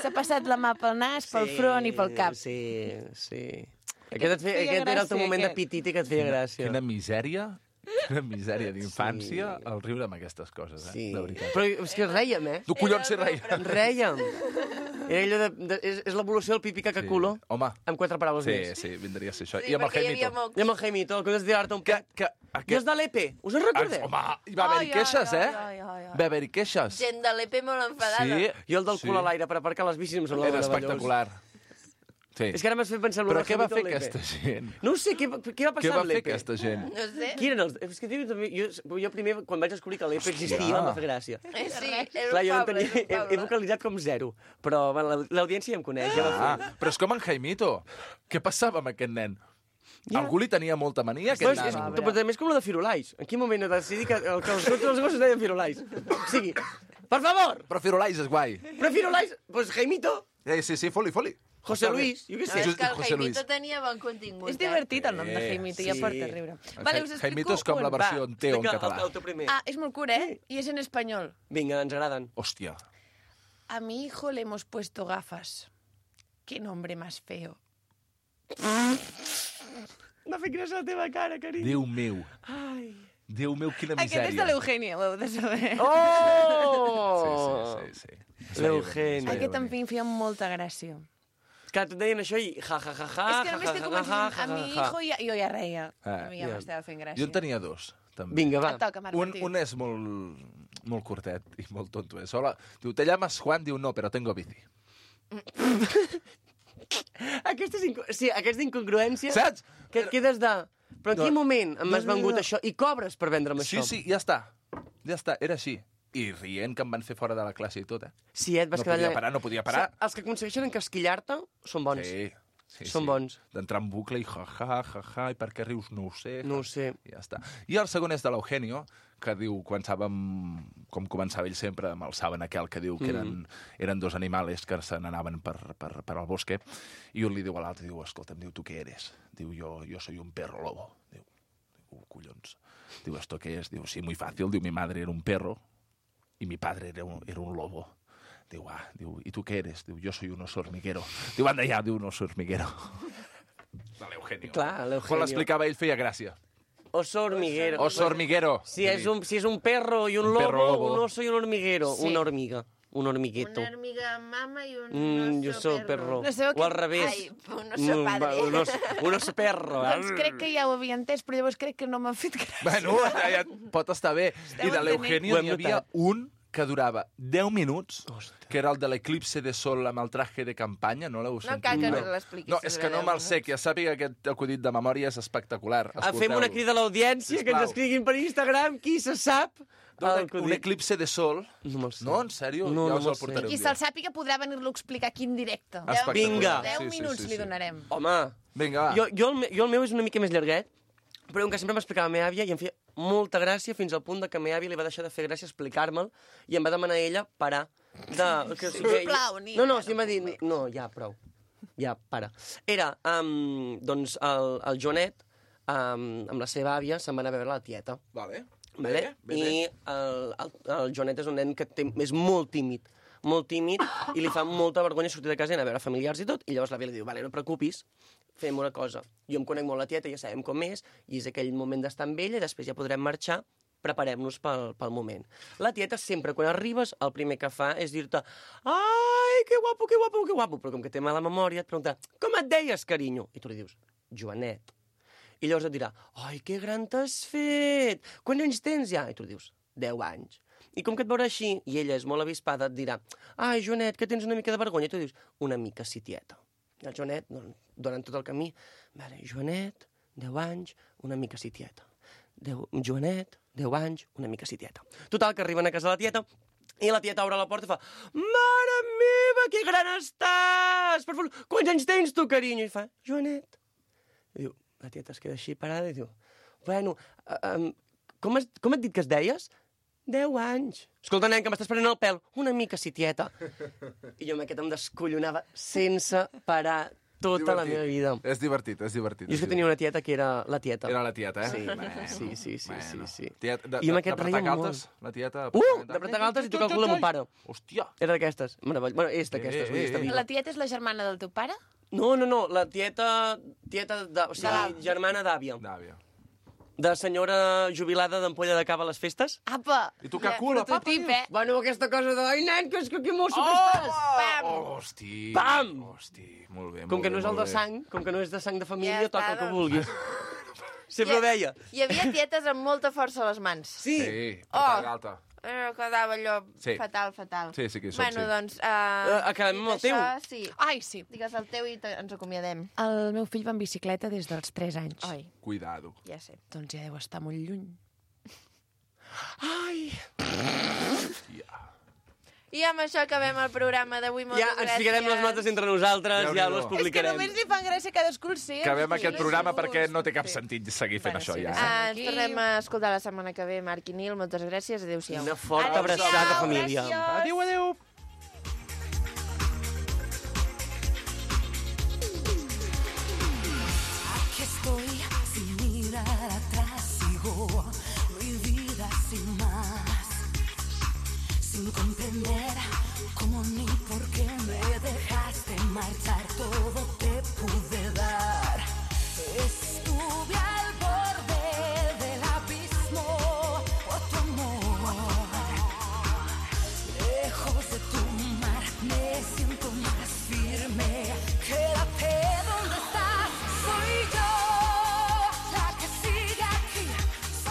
S'ha passat la mà pel nas, pel front i pel cap. Sí, sí. Aquest, et feia, feia aquest era el teu gràcia, moment de aquest. pititi que et feia gràcia. Quina misèria, quina misèria d'infància el riure amb aquestes coses, eh? Sí. De veritat. Però és que rèiem, eh? Tu collons si reia. Rèiem. Era allò de, de, és, és l'evolució del pipi cacaculo, Home, amb quatre paraules sí, més. sí, vindria a ser això. Sí, I amb el perquè hi havia Jaimito. mocs. I amb el Jaimito, el que has de tirar-te un Que, pet. que, I aquest... els de l'E P, us en recordeu? Home, hi va haver-hi Ai, queixes, ai, eh? ai, ai, ai. Va haver-hi queixes. Gent de l'E P molt enfadada. Sí. Jo el del Sí. cul a l'aire per aparcar les bicis em semblava Era meravellós. espectacular. Sí. És que ara m'has fet pensar en Però el què va Jaimito fer a l'E P. aquesta gent? No ho sé, què, va- què va passar Què va amb fer l'E P? aquesta gent? No sé. Qui eren els... És que tio, també, jo, jo primer, quan vaig descobrir que l'E P existia, Hòstia. em va fer gràcia. Eh, Sí, era Clar, un jo no poble, tenia, era un he, he poble. vocalitzat com zero, però bueno, la- l'audiència ja em coneix. Ja va Ah, però és com en Jaimito. Què passava amb aquest nen? Ja. Algú li tenia molta mania, a Però aquest és, és, nano? però també és com la de Firulais. En quin moment he de decidir que, el, que els, tots els gossos deien Firulais? O sigui, per favor! Però Firulais és guai. Però Firulais, pues Jaimito, Eh, sí, sí, foli, foli. José Luis, jo què No, sé. és que el José Luis. Jaimito tenia bon contingut. És divertit el nom de Eh, Jaimito, sí. ja porta a riure. El Vale, Ja- us explico Jaimito és com la un. versió Va, en teo en explica català. El, el teu primer. Ah, és molt curt, eh? I és en espanyol. Vinga, ens agraden. Hòstia. A mi hijo le hemos puesto gafas. Qué nombre más feo. M'ha fet gràcia la teva cara, carinyo. Déu meu. Ai. Déu meu, quina Aquest és de misèria. l'Eugènia, ho heu de saber. Oh! Sí, sí, sí. sí. Es veia L'Eugeni. venir, es veia Aquest en venir. fi em feia molta gràcia. Clar, tu et deien això i ja, ja, ja, ja, és que ja, només ja, que ja, comences ja, a ja, mi ja. hijo ja, jo ja reia. Ah, A mi ja ja. m'estava fent gràcia. Jo en tenia dos, també. Vinga, va. Et toca, Marc Un, Martí. un és molt, molt curtet i molt tonto. És hola. Diu, ¿te llamas Juan? Diu, no, pero tengo bici. Aquestes, inco... sí, aquesta incongruència... Saps? Que et quedes de... Però en quin No. moment No, m'has no, no, vengut no. això? I cobres per vendre'm Sí, això? sí, ja està. Ja està, era així. I rient que em van fer fora de la classe i tot, eh? Sí, et vas no quedar podia allà- parar, no podia parar. O sigui, els que aconsegueixen encasquillar-te són bons. Sí, sí, Són sí. bons. D'entrar en bucle i ja-ja, ja-ja, i per què rius no ho sé. No ho sé. I ja està. I el segon és de l'Eugenio, que diu, començàvem, com començava ell sempre, amb el saben aquell que diu que eren, Mm. eren dos animals que se n'anaven per, per, per al bosque, i un li diu a l'altre, diu, escolta'm, diu, tu què eres? Diu, jo, jo soy un perro lobo. Diu, diu, collons. Diu, ¿esto qué es? Diu, sí, muy fácil. Diu, mi madre era un perro y mi padre era un, era un lobo. Diu, ah, diu, ¿y tú qué eres? Diu, yo soy un oso hormiguero. Diu, anda ja, diu, un oso hormiguero. De l'Eugenio. Clar, l'Eugenio. Quan l'explicava ell feia gràcia. Oso hormiguero. Oso hormiguero. Si és un, si és un perro i un, Un lobo, perro lobo. un oso i un hormiguero. Sí. Una hormiga. Un hormigueto. Una hormiga mama i un Mm, oso jo soy perro. perro. No sabeu O al que- revés. Ai, un oso Mm, padre. va, Un oso, un oso perro. Doncs crec que ja ho havia entès, però llavors crec que no m'ha fet gràcia. Bueno, ja, ja pot estar bé. Esteu I de entenent? l'Eugenio Ho hem n'hi havia notat. un que durava deu minuts, que era el de l'eclipse de sol amb el traje de campanya, no l'heu No sentit? cal que mai? ens l'expliquis. No, és que no me'l sé, que ja sàpiga que aquest acudit de memòria és espectacular. Ah, fem una Escolteu-lo. crida a l'audiència, que ens Sisplau. escriguin per Instagram qui se sap. No, el un acudit. eclipse de sol. No me'l sé. No, en sèrio? No, ja no us me'l el sé. portaré Qui un se'l dia. sàpiga podrà venir-lo a explicar aquí en directe. Espectacular. Vinga. Deu Sí, sí, minuts sí, li sí. donarem. Home, Vinga, va. jo, jo, el, me- jo el meu és una mica més llarguet, però que sempre m'explicava la meva àvia i em feia molta gràcia fins al punt de que la meva àvia li va deixar de fer gràcia explicar-me'l i em va demanar a ella parar. De, que, Sisplau, Nina, No, no, no sí, em va dir, no, ja, prou. Ja, para. Era, um, doncs, el, el Joanet, um, amb la seva àvia, se'n va anar a veure la tieta. Vale. Vale? Bé, bé, I el, el, el Joanet és un nen que té, és molt tímid, molt tímid, i li fa molta vergonya sortir de casa i anar a veure familiars i tot, i llavors l'àvia li diu, vale, no et preocupis, fem una cosa. Jo em conec molt la tieta, ja sabem com és, i és aquell moment d'estar amb ella, i després ja podrem marxar, preparem-nos pel, pel moment. La tieta sempre, quan arribes, el primer que fa és dir-te ai, que guapo, que guapo, que guapo, però com que té mala memòria et pregunta, com et deies, carinyo? I tu li dius, Joanet. I llavors et dirà, ai, que gran t'has fet! Quants anys tens ja? I tu li dius, deu anys. I com que et veurà així, i ella és molt avispada, et dirà, ai, Joanet, que tens una mica de vergonya. I tu dius, una mica sí, tieta. I el Joanet, doncs, durant tot el camí, vale, Joanet, deu anys, una mica sí, tieta. Deu, Joanet, deu anys, una mica sí, tieta. Total, que arriben a casa de la tieta, i la tieta obre la porta i fa, mare meva, que gran estàs! Per favor, quants anys tens tu, carinyo? I fa, Joanet. I diu, la tieta es queda així parada i diu, bueno, um, com, has, com et dit que es deies? Deu anys. Escolta, nen, que m'estàs prenent el pèl. Una mica, sí, tieta. I jo amb aquest em descollonava sense parar tota la Divertit. meva vida. És divertit, és divertit. Jo és que tenia una tieta que era la tieta. Era la tieta, eh? Sí, Bueno, sí, sí, sí, bueno. sí, sí. Tieta, de, I amb de, aquest de reia pretar molt. galtes? La tieta... Uh, de pretar galtes i tocar el cul de mon pare. Hòstia. Era d'aquestes. Meravell... Bueno, és d'aquestes. Eh, vull dir, està eh, eh. viva. La tieta és la germana del teu pare? No, no, no, la tieta... Tieta de... O sigui, germana d'àvia. D'àvia. De senyora jubilada d'ampolla de cava a les festes. Apa! I tu que cula, papa, Prototip, eh? Bueno, aquesta cosa de... Ai, nen, que és que que mosso que estàs! Pam! Hosti. Pam! Hosti, molt bé, Com molt que bé, no és el molt de bé. sang, com que no és de sang de família, Ja toca està, el que doncs. vulguis. Sempre ho deia. Hi havia tietes amb molta força a les mans. Sí. Sí, Oh. pretar galta. Eh, quedava allò Sí. fatal, fatal. Sí, sí que hi som, bueno, sí. doncs... Uh, Eh, acabem amb el teu. Això, sí. Ai, sí. Digues el teu i te- ens acomiadem. El meu fill va en bicicleta des dels tres anys. Ai, Cuidado. ja sé. Doncs ja deu estar molt lluny. Ai. I amb això acabem el programa d'avui. Moltes Ja ens ficarem les gràcies. notes entre nosaltres, ja Déu-n'hi-do. les És que publicarem. només li fan gràcia cadascú el seu. Acabem Sí, aquest sí, programa sí. perquè no té cap sentit seguir fent Bueno, això sí, ja. sí. eh? Ah, ens tornem a escoltar la setmana que ve, Marc i Nil. Moltes gràcies. Adéu-siau. Una forta abraçada, família. Adéu, adéu. Aquí estoy sin mirar atrás, sigo mi vida sin más, sin comprender cómo ni por qué me dejaste marchar, todo te pude dar. Estuve al borde del abismo por tu amor, lejos de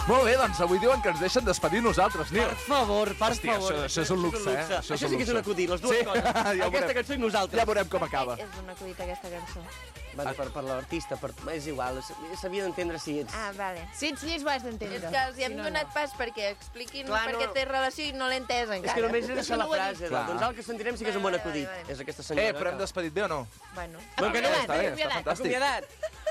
Molt bé, doncs avui diuen que ens deixen despedir nosaltres, Nil. Per favor, per Hòstia, favor. això- això és un luxe, eh? Això Això, és un sí que és un luxe. acudit, les dues Sí, coses. ja ho Aquesta veurem. cançó i nosaltres. Ja veurem com acaba. És un acudit, aquesta cançó. Va, per, per l'artista, per... és igual, s'havia d'entendre si ets... Ah, vale. Si ets llest, ho has d'entendre. És que els hi hem Si no, donat no. pas perquè expliquin Clar, per què no. té relació i no l'he entès encara. És que només he deixat la No ho he frase. dit. De, doncs el que sentirem sí que és un bon Vale, vale, acudit. vale. És aquesta senyora. Eh, però hem que- despedit bé o no? Bueno. No, que no, Està bé, està acomiadat. fantàstic. Acomiadat.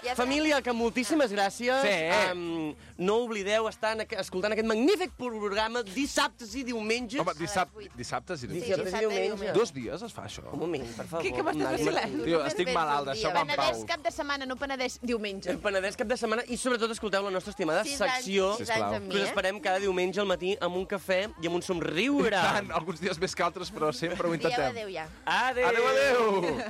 Ja Família, que moltíssimes gràcies. Sí. Um, no oblideu estar en, aqu- escoltant aquest magnífic programa dissabtes i diumenges. Home, dissabte, dissabtes i Dissabtes diumenges. i diumenge. Dos dies es fa això? Un moment, per favor. Què, què m'estàs Una- vacilant? Tio, estic malalt, deixeu-me en Penedès pau. cap de setmana, no Penedès diumenge. El Penedès cap de setmana i sobretot escolteu la nostra estimada Sis anys- secció sis anys que amb mi, us eh? esperem cada diumenge al matí amb un cafè i amb un somriure. Tant, alguns dies més que altres, però sempre ho Dieu intentem. adéu ja. Adéu. Adéu, adéu!